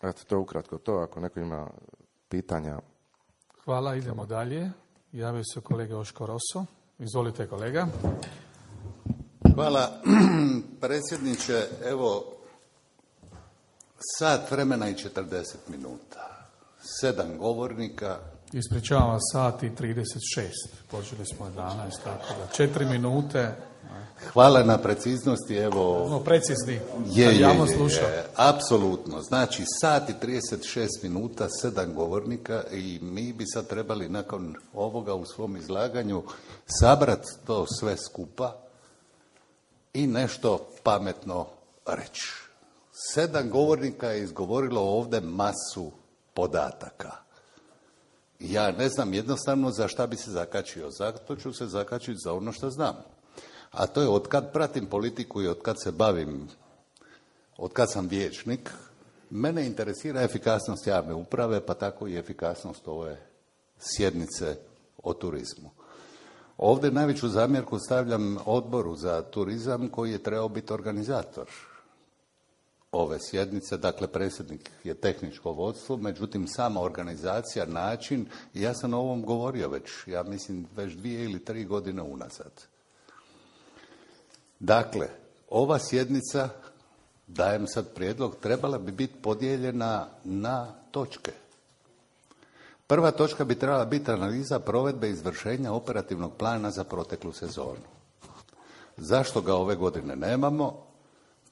Eto, to je ukratko to. Ako neko ima pitanja. Hvala, idemo dalje. Javio se kolega Oško Roso. Izvolite, kolega. Hvala, predsjedniče. Evo, sat vremena i 40 minuta. 7 govornika. Ispričavam vas, sat i 36. Počeli smo 11, tako da 4 minute. Hvala na preciznosti, evo... precizni, je, javnost sluša. Apsolutno. Znači, sat i 36 minuta, 7 govornika i mi bi sad trebali nakon ovoga u svom izlaganju sabrati to sve skupa i nešto pametno reći. 7 govornika je izgovorilo ovdje masu podataka. Ja ne znam jednostavno za šta bi se zakačio. Zato ću se zakačiti za ono što znam. A to je otkad pratim politiku i otkad se bavim, otkad sam vijećnik, mene interesira efikasnost javne uprave, pa tako i efikasnost ove sjednice o turizmu. Ovdje najveću zamjerku stavljam Odboru za turizam koji je trebao biti organizator ove sjednice, dakle predsjednik je tehničko vodstvo, međutim sama organizacija, način, ja sam o ovom govorio već, ja mislim već 2 ili 3 godine unazad. Dakle, ova sjednica, dajem sad prijedlog, trebala bi biti podijeljena na točke. Prva točka bi trebala biti analiza provedbe izvršenja operativnog plana za proteklu sezonu. Zašto ga ove godine nemamo?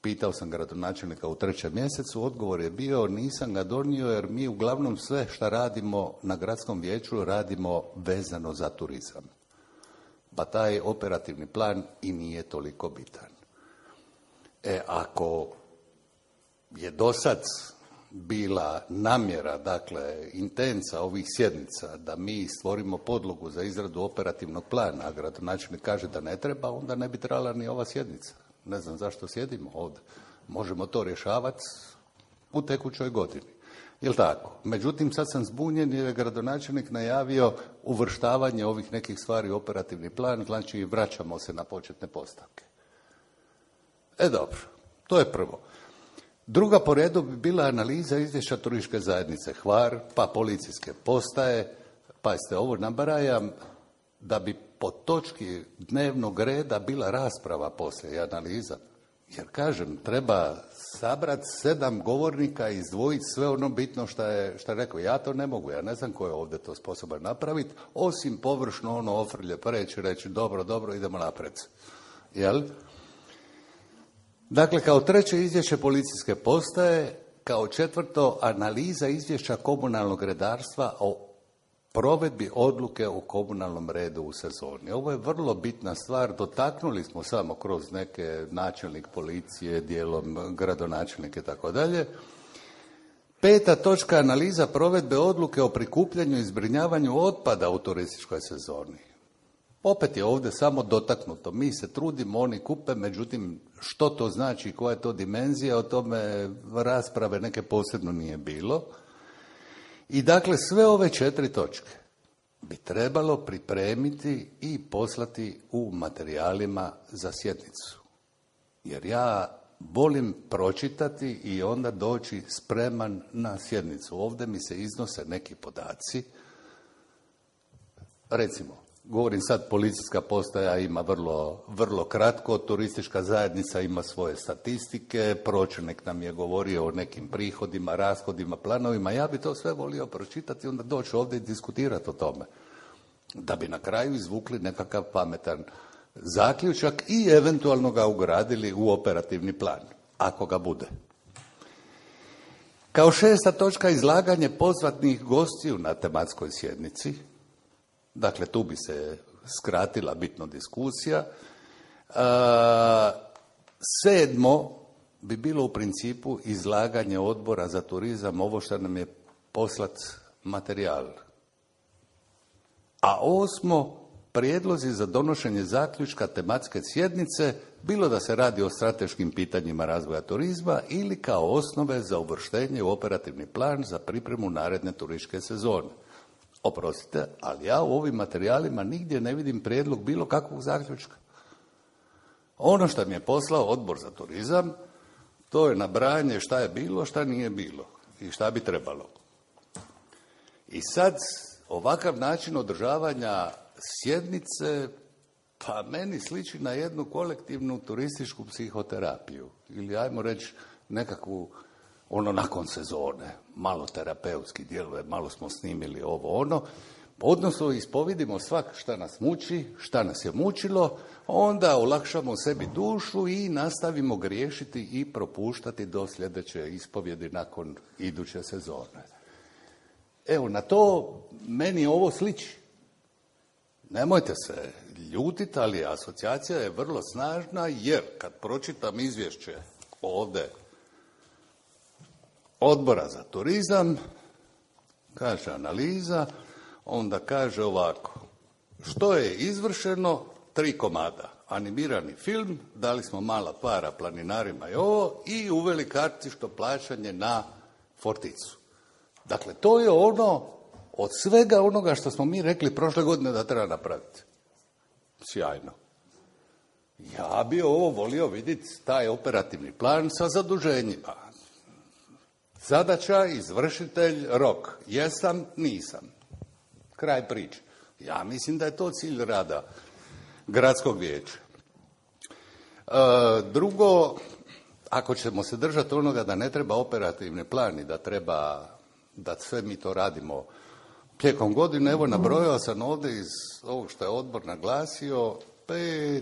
Pitao sam gradonačelnika u 3. mjesecu, odgovor je bio nisam ga donio jer mi uglavnom sve što radimo na gradskom vijeću radimo vezano za turizam. Pa taj operativni plan i nije toliko bitan. Ako je dosad bila namjera, dakle, intenca ovih sjednica da mi stvorimo podlogu za izradu operativnog plana, a gradonačelnik kaže da ne treba, onda ne bi trebala ni ova sjednica. Ne znam zašto sjedimo ovdje. Možemo to rješavati u tekućoj godini. Jel' tako? Međutim, sad sam zbunjen jer je gradonačelnik najavio uvrštavanje ovih nekih stvari u operativni plan, znači vraćamo se na početne postavke. Dobro, to je prvo. Druga po redu bi bila analiza izvješća turističke zajednice Hvar, pa policijske postaje, pazite, ovo nabrajam da bi po točki dnevnog reda bila rasprava poslije i analiza. Jer kažem, treba sabrati 7 govornika i izdvojiti sve ono bitno što je rekao. Ja to ne mogu, ja ne znam ko je ovdje to sposoban napraviti, osim površno ono ofrlje preći, reći dobro, idemo naprijed. Jel? Dakle, kao treće izvješće policijske postaje, kao četvrto analiza izvješća komunalnog redarstva o provedbi odluke o komunalnom redu u sezoni. Ovo je vrlo bitna stvar, dotaknuli smo samo kroz neke načelnik policije, dijelom gradonačelnike i tako dalje. 5. točka analiza provedbe odluke o prikupljanju i zbrinjavanju otpada u turističkoj sezoni. Opet je ovdje samo dotaknuto. Mi se trudimo, oni kupe, međutim što to znači, koja je to dimenzija, o tome rasprave neke posebno nije bilo. I dakle, sve ove 4 točke bi trebalo pripremiti i poslati u materijalima za sjednicu. Jer ja volim pročitati i onda doći spreman na sjednicu. Ovdje mi se iznose neki podaci. Recimo, govorim sad, policijska postaja ima vrlo kratko, turistička zajednica ima svoje statistike, pročelnik nam je govorio o nekim prihodima, rashodima, planovima. Ja bi to sve volio pročitati i onda doći ovdje i diskutirati o tome. Da bi na kraju izvukli nekakav pametan zaključak i eventualno ga ugradili u operativni plan, ako ga bude. Kao 6. točka, izlaganje pozvatnih gostiju na tematskoj sjednici. Dakle, tu bi se skratila bitno diskusija. 7. bi bilo u principu izlaganje Odbora za turizam, ovo što nam je poslat materijal. A 8. prijedlozi za donošenje zaključka tematske sjednice, bilo da se radi o strateškim pitanjima razvoja turizma ili kao osnove za uvrštenje u operativni plan za pripremu naredne turističke sezone. Oprostite, ali ja u ovim materijalima nigdje ne vidim prijedlog bilo kakvog zaključka. Ono što mi je poslao Odbor za turizam, to je nabrajanje šta je bilo, šta nije bilo i šta bi trebalo. I sad, ovakav način održavanja sjednice, pa meni sliči na jednu kolektivnu turističku psihoterapiju. Ili, ajmo reći, nekakvu, nakon sezone, malo terapeutski djeluje, malo smo snimili ovo, odnosno ispovidimo svak šta nas muči, šta nas je mučilo, onda olakšamo sebi dušu i nastavimo griješiti i propuštati do sljedeće ispovjedi nakon iduće sezone. Evo, na to meni ovo sliči. Nemojte se ljutiti, ali asocijacija je vrlo snažna, jer kad pročitam izvješće ovdje Odbora za turizam, kaže analiza, onda kaže ovako: što je izvršeno? 3 komada. Animirani film, dali smo mala para planinarima i uveli kartično plaćanje na Forticu. Dakle, to je od svega onoga što smo mi rekli prošle godine da treba napraviti. Sjajno. Ja bi volio vidjeti taj operativni plan sa zaduženjima. Zadaća, izvršitelj, rok. Jesam, nisam. Kraj priče. Ja mislim da je to cilj rada gradskog vijeća. Drugo, ako ćemo se držati onoga da ne treba operativni plan i da sve mi to radimo tijekom godine, evo nabrojao sam ovdje iz ovog što je odbor naglasio 8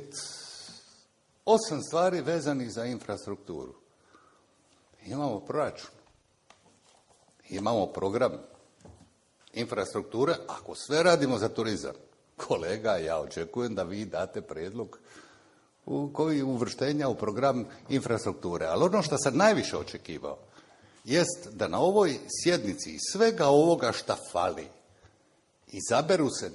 stvari vezanih za infrastrukturu. Imamo proračun, imamo program infrastrukture. Ako sve radimo za turizam, kolega, ja očekujem da vi date prijedlog koji uvrštenja u program infrastrukture. Ali ono što sam najviše očekivao jest da na ovoj sjednici iz svega ovoga šta fali izaberu se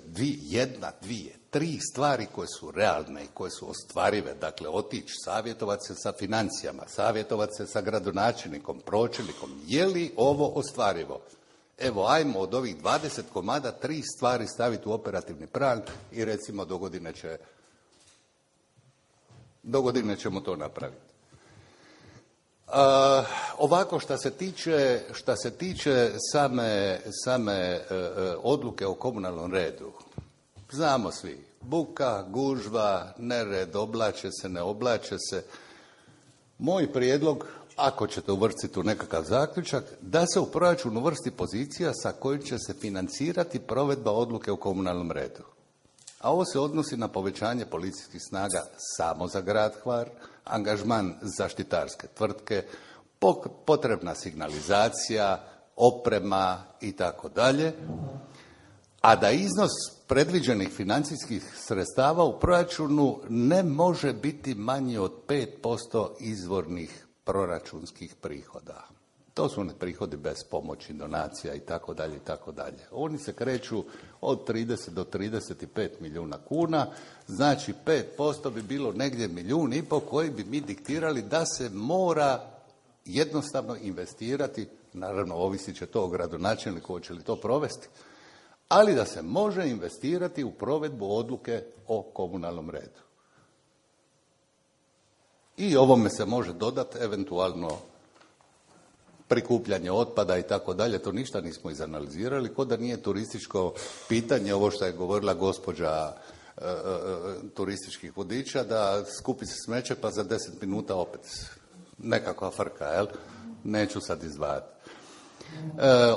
3 stvari koje su realne i koje su ostvarive. Dakle, otići, savjetovati se sa financijama, savjetovati se sa gradonačelnikom, pročelnikom. Je li ovo ostvarivo? Evo, ajmo od ovih 20 komada 3 stvari staviti u operativni plan i recimo do godine ćemo to napraviti. Ovako, šta se tiče same odluke o komunalnom redu, znamo svi, buka, gužva, nered, oblače se, ne oblače se. Moj prijedlog, ako ćete uvrstiti u nekakav zaključak, da se u proračun uvrsti pozicija sa kojom će se financirati provedba odluke o komunalnom redu. A ovo se odnosi na povećanje policijskih snaga samo za grad Hvar, angažman zaštitarske tvrtke, potrebna signalizacija, oprema i tako dalje, a da iznos predviđenih financijskih sredstava u proračunu ne može biti manji od 5% izvornih proračunskih prihoda. To su oni prihodi bez pomoći, donacija i tako dalje i tako dalje. Oni se kreću od 30 do 35 milijuna kuna, znači 5% bi bilo negdje 1,5 milijuna koji bi mi diktirali da se mora jednostavno investirati naravno ovisit će to o gradonačelniku hoće li to provesti, ali da se može investirati u provedbu odluke o komunalnom redu. I ovome se može dodati eventualno prikupljanje otpada i tako dalje, to ništa nismo izanalizirali, ko da nije turističko pitanje, ovo što je govorila gospođa turističkih vodiča, da skupi se smeće pa za 10 minuta opet nekakva frka, jel? Neću sad izdvajati.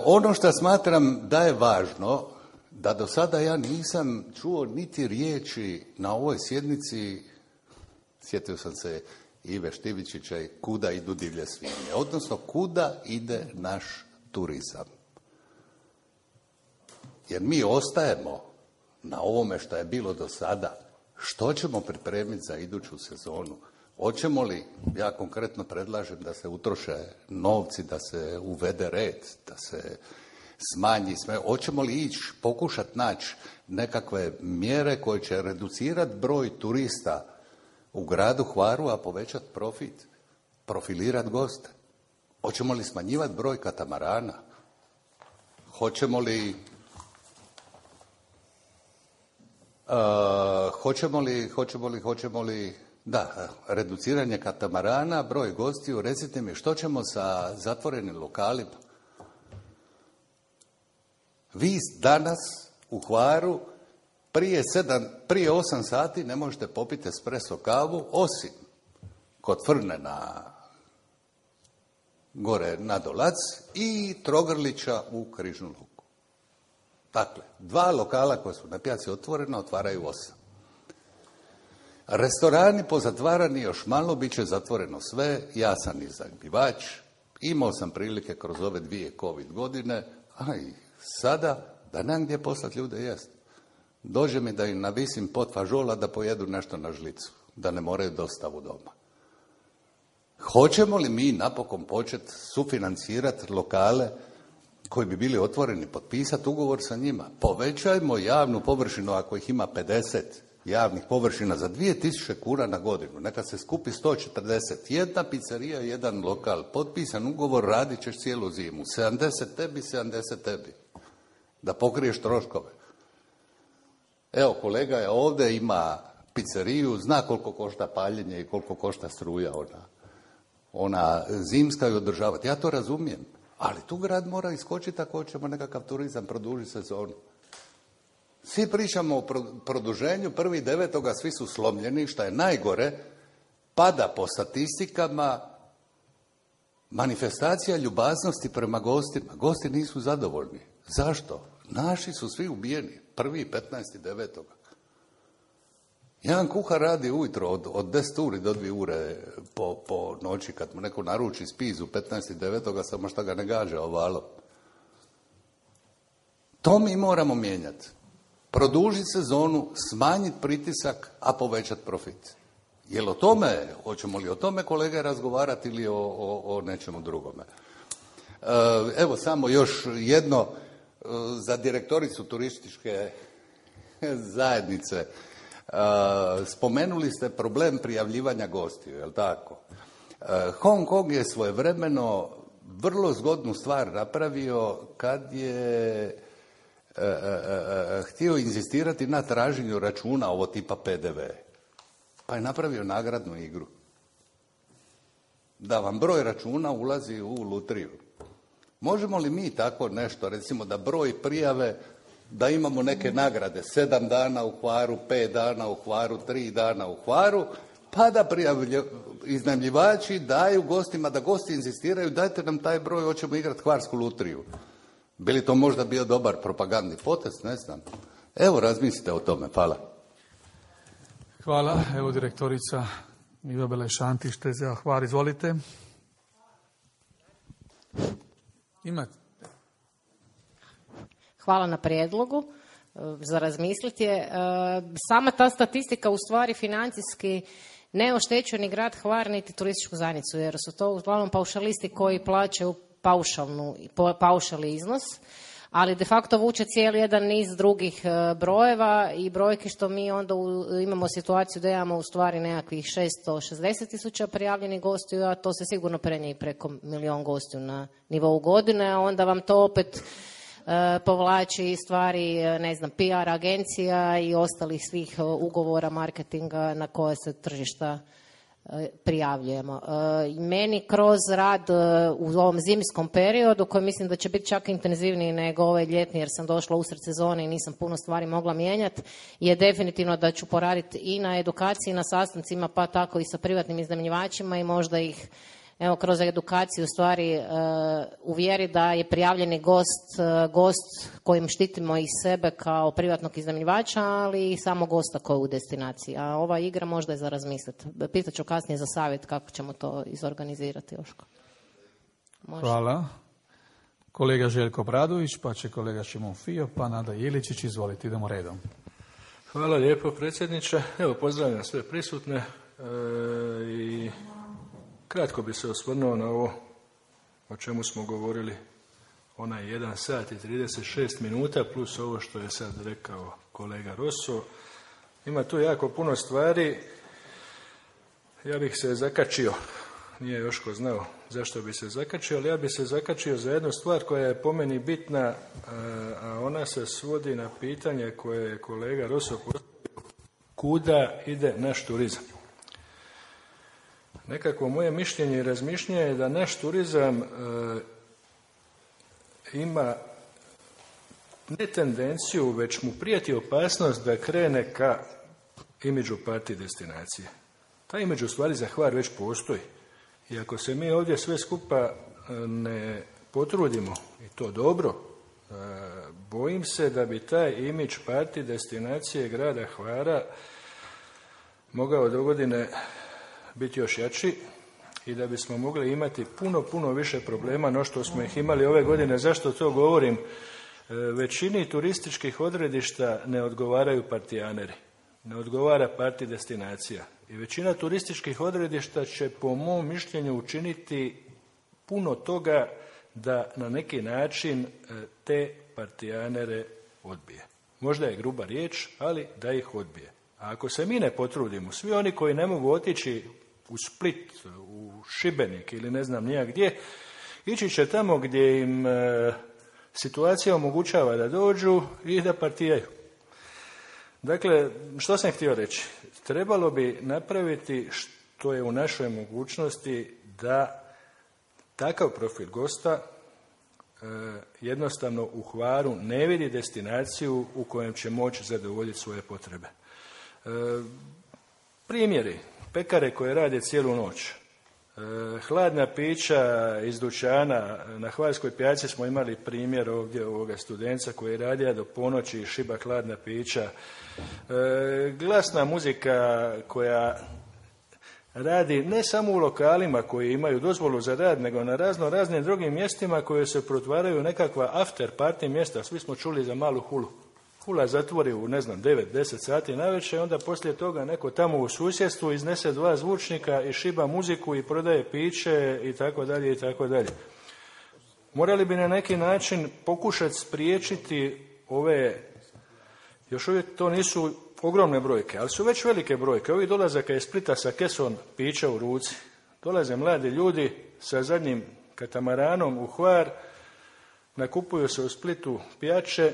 Ono što smatram da je važno, da do sada ja nisam čuo niti riječi na ovoj sjednici, sjetio sam se Ive Štivičića i kuda idu divlje svinje, odnosno kuda ide naš turizam. Jer mi ostajemo na ovome što je bilo do sada. Što ćemo pripremiti za iduću sezonu? Hoćemo li, ja konkretno predlažem da se utroše novci, da se uvede red, da se smanji sve. Hoćemo li ići, pokušati naći nekakve mjere koje će reducirati broj turista u gradu Hvaru, a povećati profit, profilirati goste? Hoćemo li smanjivati broj katamarana? Hoćemo li da, reduciranje katamarana, broj gostiju, recite mi što ćemo sa zatvorenim lokalima? Vi danas u Hvaru prije 8 sati ne možete popiti espresso kavu, osim kod Frne gore na Dolac i Trogrlića u Križnu luku. Dakle, 2 lokala koja su na pijaci otvorena otvaraju 8. Restorani pozatvarani još malo, bit će zatvoreno sve, ja sam iznajmljivač, imao sam prilike kroz ove 2 COVID godine, a i sada da nemam gdje poslati ljude jest. Dođe mi da im navisim pot fažola da pojedu nešto na žlicu, da ne moraju dostavu doma. Hoćemo li mi napokon početi sufinancirati lokale koji bi bili otvoreni, potpisati ugovor sa njima? Povećajmo javnu površinu, ako ih ima 50 javnih površina za 2000 kuna na godinu. Neka se skupi 140. Jedna pizzerija, jedan lokal, potpisan ugovor, radit ćeš cijelu zimu. 70 tebi, 70 tebi. Da pokriješ troškove. Evo, kolega je ovdje, ima pizzeriju, zna koliko košta paljenje i koliko košta struja ona zimska i održavati. Ja to razumijem. Ali tu grad mora iskočiti ako hoćemo nekakav turizam produžiti sezonu. Svi pričamo o produženju, 1.9. svi su slomljeni, što je najgore, pada po statistikama manifestacija ljubaznosti prema gostima. Gosti nisu zadovoljni. Zašto? Naši su svi ubijeni, 1.15.9. Jedan kuhar radi ujutro od 10 uri do 2 ure po noći, kad mu neko naruči spizu 15.9. samo što ga ne gađa ovalom. To mi moramo mijenjati. Produžiti sezonu, smanjiti pritisak, a povećati profit. Jel o tome, hoćemo li o tome kolege razgovarati ili o nečemu drugome? Evo samo još jedno za direktoricu turističke zajednice. Spomenuli ste problem prijavljivanja gostiju, je li tako? Hong Kong je svojevremeno vrlo zgodnu stvar napravio kad je htio inzistirati na traženju računa ovo tipa PDV. Pa je napravio nagradnu igru. Da vam broj računa ulazi u lutriju. Možemo li mi tako nešto, recimo da broj prijave, da imamo neke nagrade, 7 dana u Hvaru, 5 dana u Hvaru, 3 dana u Hvaru, pa da iznajmljivači daju gostima, da gosti inzistiraju, dajte nam taj broj, hoćemo igrati hvarsku lutriju. Bi li to možda bio dobar propagandni potez, ne znam. Evo, razmislite o tome. Hvala. Hvala. Evo direktorica Iva Belešantić, TZA Hvar, izvolite. Imate. Hvala na prijedlogu. Za razmisliti je. Sama ta statistika u stvari financijski ne oštećuje ni grad Hvar niti turističku zajednicu, jer su to uglavnom paušalisti koji plaćaju paušalni iznos. ali de facto vuče cijeli jedan niz drugih brojeva i brojki što mi onda imamo situaciju da imamo u stvari nekakvih 660.000 prijavljenih gostiju, a to se sigurno prenije preko 1 milijun gostiju na nivou godine, a onda vam to opet povlači stvari, ne znam, PR agencija i ostalih svih ugovora marketinga na koje se tržišta prijavljujemo. Meni kroz rad u ovom zimskom periodu, koji mislim da će biti čak intenzivniji nego ovaj ljetni, jer sam došla usred sezone i nisam puno stvari mogla mijenjati, je definitivno da ću poraditi i na edukaciji, na sastancima, pa tako i sa privatnim iznajmljivačima i možda ih kroz edukaciju u stvari uvjeri da je prijavljeni gost kojim štitimo i sebe kao privatnog iznajmljivača, ali i samo gosta koji je u destinaciji. A ova igra možda je za razmisliti. Pitaću kasnije za savjet kako ćemo to izorganizirati, Joško. Hvala. Kolega Željko Bradović, pa će kolega Šimon Fio, pa Nada Iličić. Izvolite, idemo redom. Hvala lijepo, predsjedniče. Evo, pozdravljam sve prisutne i kratko bi se osvrnuo na ovo o čemu smo govorili, onaj 1 sat i 36 minuta plus ovo što je sad rekao kolega Rosso. Ima tu jako puno stvari. Ja bih se zakačio, nije Joško znao zašto bi se zakačio, ali ja bih se zakačio za jednu stvar koja je po meni bitna, a ona se svodi na pitanje koje je kolega Rosso postavio: kuda ide naš turizam? Nekako moje mišljenje i razmišljanje je da naš turizam ima ne tendenciju, već mu prijeti opasnost da krene ka imidžu party destinacije. Taj imidž u stvari za Hvar već postoji. I ako se mi ovdje sve skupa ne potrudimo, i to dobro, bojim se da bi taj imidž party destinacije grada Hvara mogao dogodine biti još jači i da bismo mogli imati puno više problema no što smo ih imali ove godine. Zašto to govorim? Većini turističkih odredišta ne odgovaraju partijaneri, ne odgovara party destinacija. I većina turističkih odredišta će po mom mišljenju učiniti puno toga da na neki način te partijanere odbije. Možda je gruba riječ, ali da ih odbije. A ako se mi ne potrudimo, svi oni koji ne mogu otići u Split, u Šibenik ili ne znam nijak gdje, ići će tamo gdje im situacija omogućava da dođu i da partijaju. Dakle, što sam htio reći? Trebalo bi napraviti što je u našoj mogućnosti da takav profil gosta jednostavno u Hvaru ne vidi destinaciju u kojem će moći zadovoljiti svoje potrebe. Primjeri: pekare koje rade cijelu noć, hladna pića iz dućana. Na Hvarskoj pijaci smo imali primjer ovdje ovoga studenca koji je radio do ponoći i šiba hladna pića, glasna muzika koja radi ne samo u lokalima koji imaju dozvolu za rad, nego na raznim drugim mjestima koje se pretvaraju nekakva after party mjesta. Svi smo čuli za Malu Hulu. Hula zatvori u 9-10 sati navečer, onda poslije toga neko tamo u susjedstvu iznese 2 zvučnika i šiba muziku i prodaje piće i tako dalje i tako dalje. Morali bi na neki način pokušati spriječiti ove, još uvijek to nisu ogromne brojke, ali su već velike brojke. Ovi dolazaka iz Splita sa kesom pića u ruci. Dolaze mladi ljudi sa zadnjim katamaranom u Hvar, nakupuju se u Splitu pijače,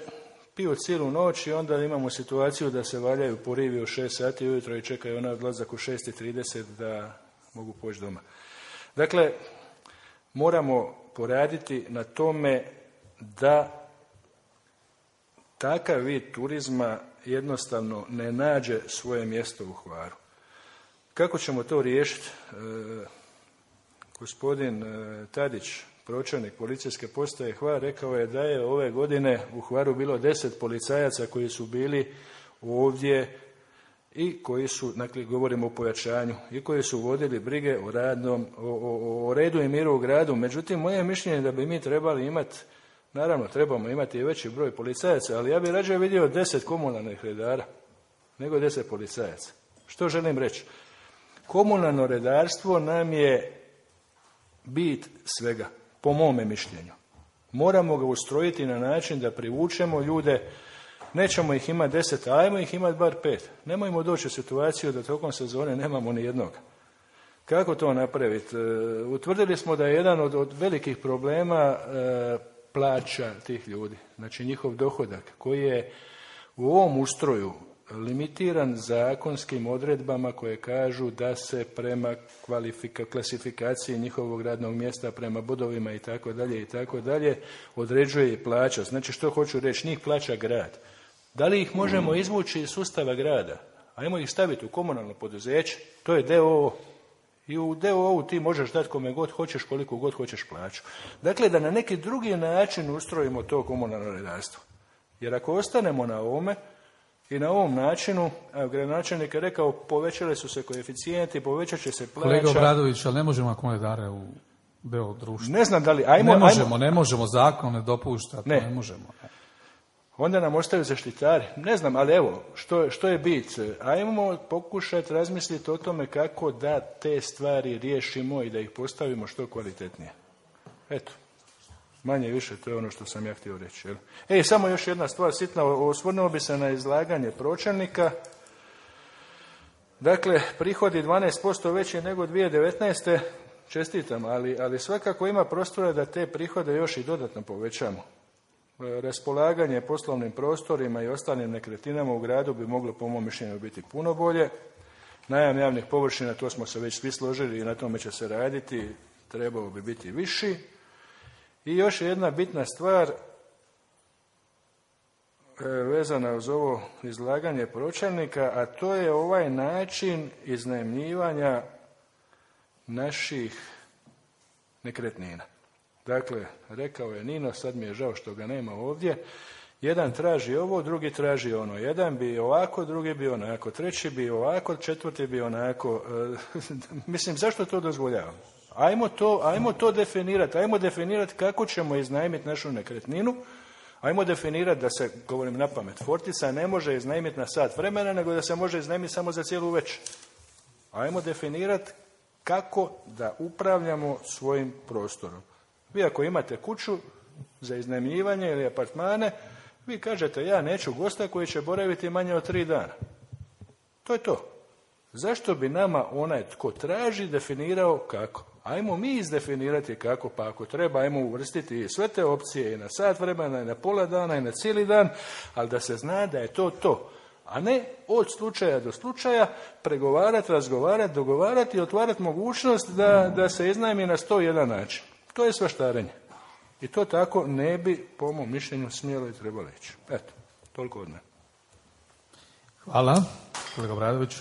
piju cijelu noć i onda imamo situaciju da se valjaju po rivi u 6 sati ujutro i čekaju onaj odlazak u 6:30 da mogu poći doma. Dakle, moramo poraditi na tome da takav vid turizma jednostavno ne nađe svoje mjesto u Hvaru. Kako ćemo to riješiti? Gospodin Tadić, pročelnik policijske postaje Hvar, rekao je da je ove godine u Hvaru bilo 10 policajaca koji su bili ovdje i koji su, dakle govorimo o pojačanju, i koji su vodili brige o redu i miru u gradu. Međutim, moje mišljenje je da bi mi trebali imati, naravno trebamo imati i veći broj policajaca, ali ja bih rađe vidio 10 komunalnih redara nego 10 policajaca. Što želim reći? Komunalno redarstvo nam je bit svega, po mome mišljenju. Moramo ga ustrojiti na način da privučemo ljude, nećemo ih imati 10, ajmo ih imati bar 5. Nemojmo doći u situaciju da tokom sezone nemamo ni jednog. Kako to napraviti? Utvrdili smo da je jedan od velikih problema plaća tih ljudi, znači njihov dohodak, koji je u ovom ustroju limitiran zakonskim odredbama koje kažu da se prema klasifikaciji njihovog radnog mjesta, prema bodovima i tako dalje, određuje i plaća. Znači što hoću reći, njih plaća grad. Da li ih možemo izvući iz sustava grada? Ajmo ih staviti u komunalno poduzeće, to je DOO. I u DOO-u ti možeš dati kome god hoćeš, koliko god hoćeš plaću. Dakle, da na neki drugi način ustrojimo to komunalno redarstvo. Jer ako ostanemo na ovome i na ovom načinu, a gradonačelnik je rekao, povećali su se koeficijenti, povećat će se plaća. Kolega Obradović, ali ne možemo ako redare u DOO društvu. Ne znam da li... Ne možemo, zakon ne dopušta, to ne možemo. Onda nam ostaju zaštitari. Ne znam, ali evo, što je bit? Ajmo pokušati razmisliti o tome kako da te stvari riješimo i da ih postavimo što kvalitetnije. Eto, manje više, to je ono što sam ja htio reći. Samo još jedna stvar sitna, osvrnuo bi se na izlaganje pročelnika. Dakle, prihodi 12% veći nego 2019. Čestitam, ali svakako ima prostora da te prihode još i dodatno povećamo. Raspolaganje poslovnim prostorima i ostalim nekretninama u gradu bi moglo po mom mišljenju biti puno bolje. Najam javnih površina, to smo se već svi složili i na tome će se raditi, trebao bi biti viši. I još jedna bitna stvar vezana uz ovo izlaganje pročelnika, a to je ovaj način iznajmljivanja naših nekretnina. Dakle, rekao je Nino, sad mi je žao što ga nema ovdje, jedan traži ovo, drugi traži ono. Jedan bi ovako, drugi bi onako, treći bi ovako, četvrti bi onako. Mislim, zašto to dozvoljavamo? Ajmo to definirati. Ajmo definirati kako ćemo iznajmiti našu nekretninu. Ajmo definirati da se, govorim na pamet, Fortica ne može iznajmiti na sat vremena, nego da se može iznajmiti samo za cijelu večer. Ajmo definirati kako da upravljamo svojim prostorom. Vi ako imate kuću za iznajmljivanje ili apartmane, vi kažete ja neću gosta koji će boraviti manje od 3 dana. To je to. Zašto bi nama onaj tko traži definirao kako? Ajmo mi izdefinirati kako, pa ako treba ajmo uvrstiti sve te opcije i na sat vremena, i na pola dana, i na cijeli dan, ali da se zna da je to. A ne od slučaja do slučaja pregovarati, razgovarati, dogovarati i otvarati mogućnost da se iznajmi na 101 način. To je svaštarenje. I to tako ne bi, po mom mišljenju, smjelo i trebalo ići. Eto, toliko od mene. Hvala. Kolega Obradović.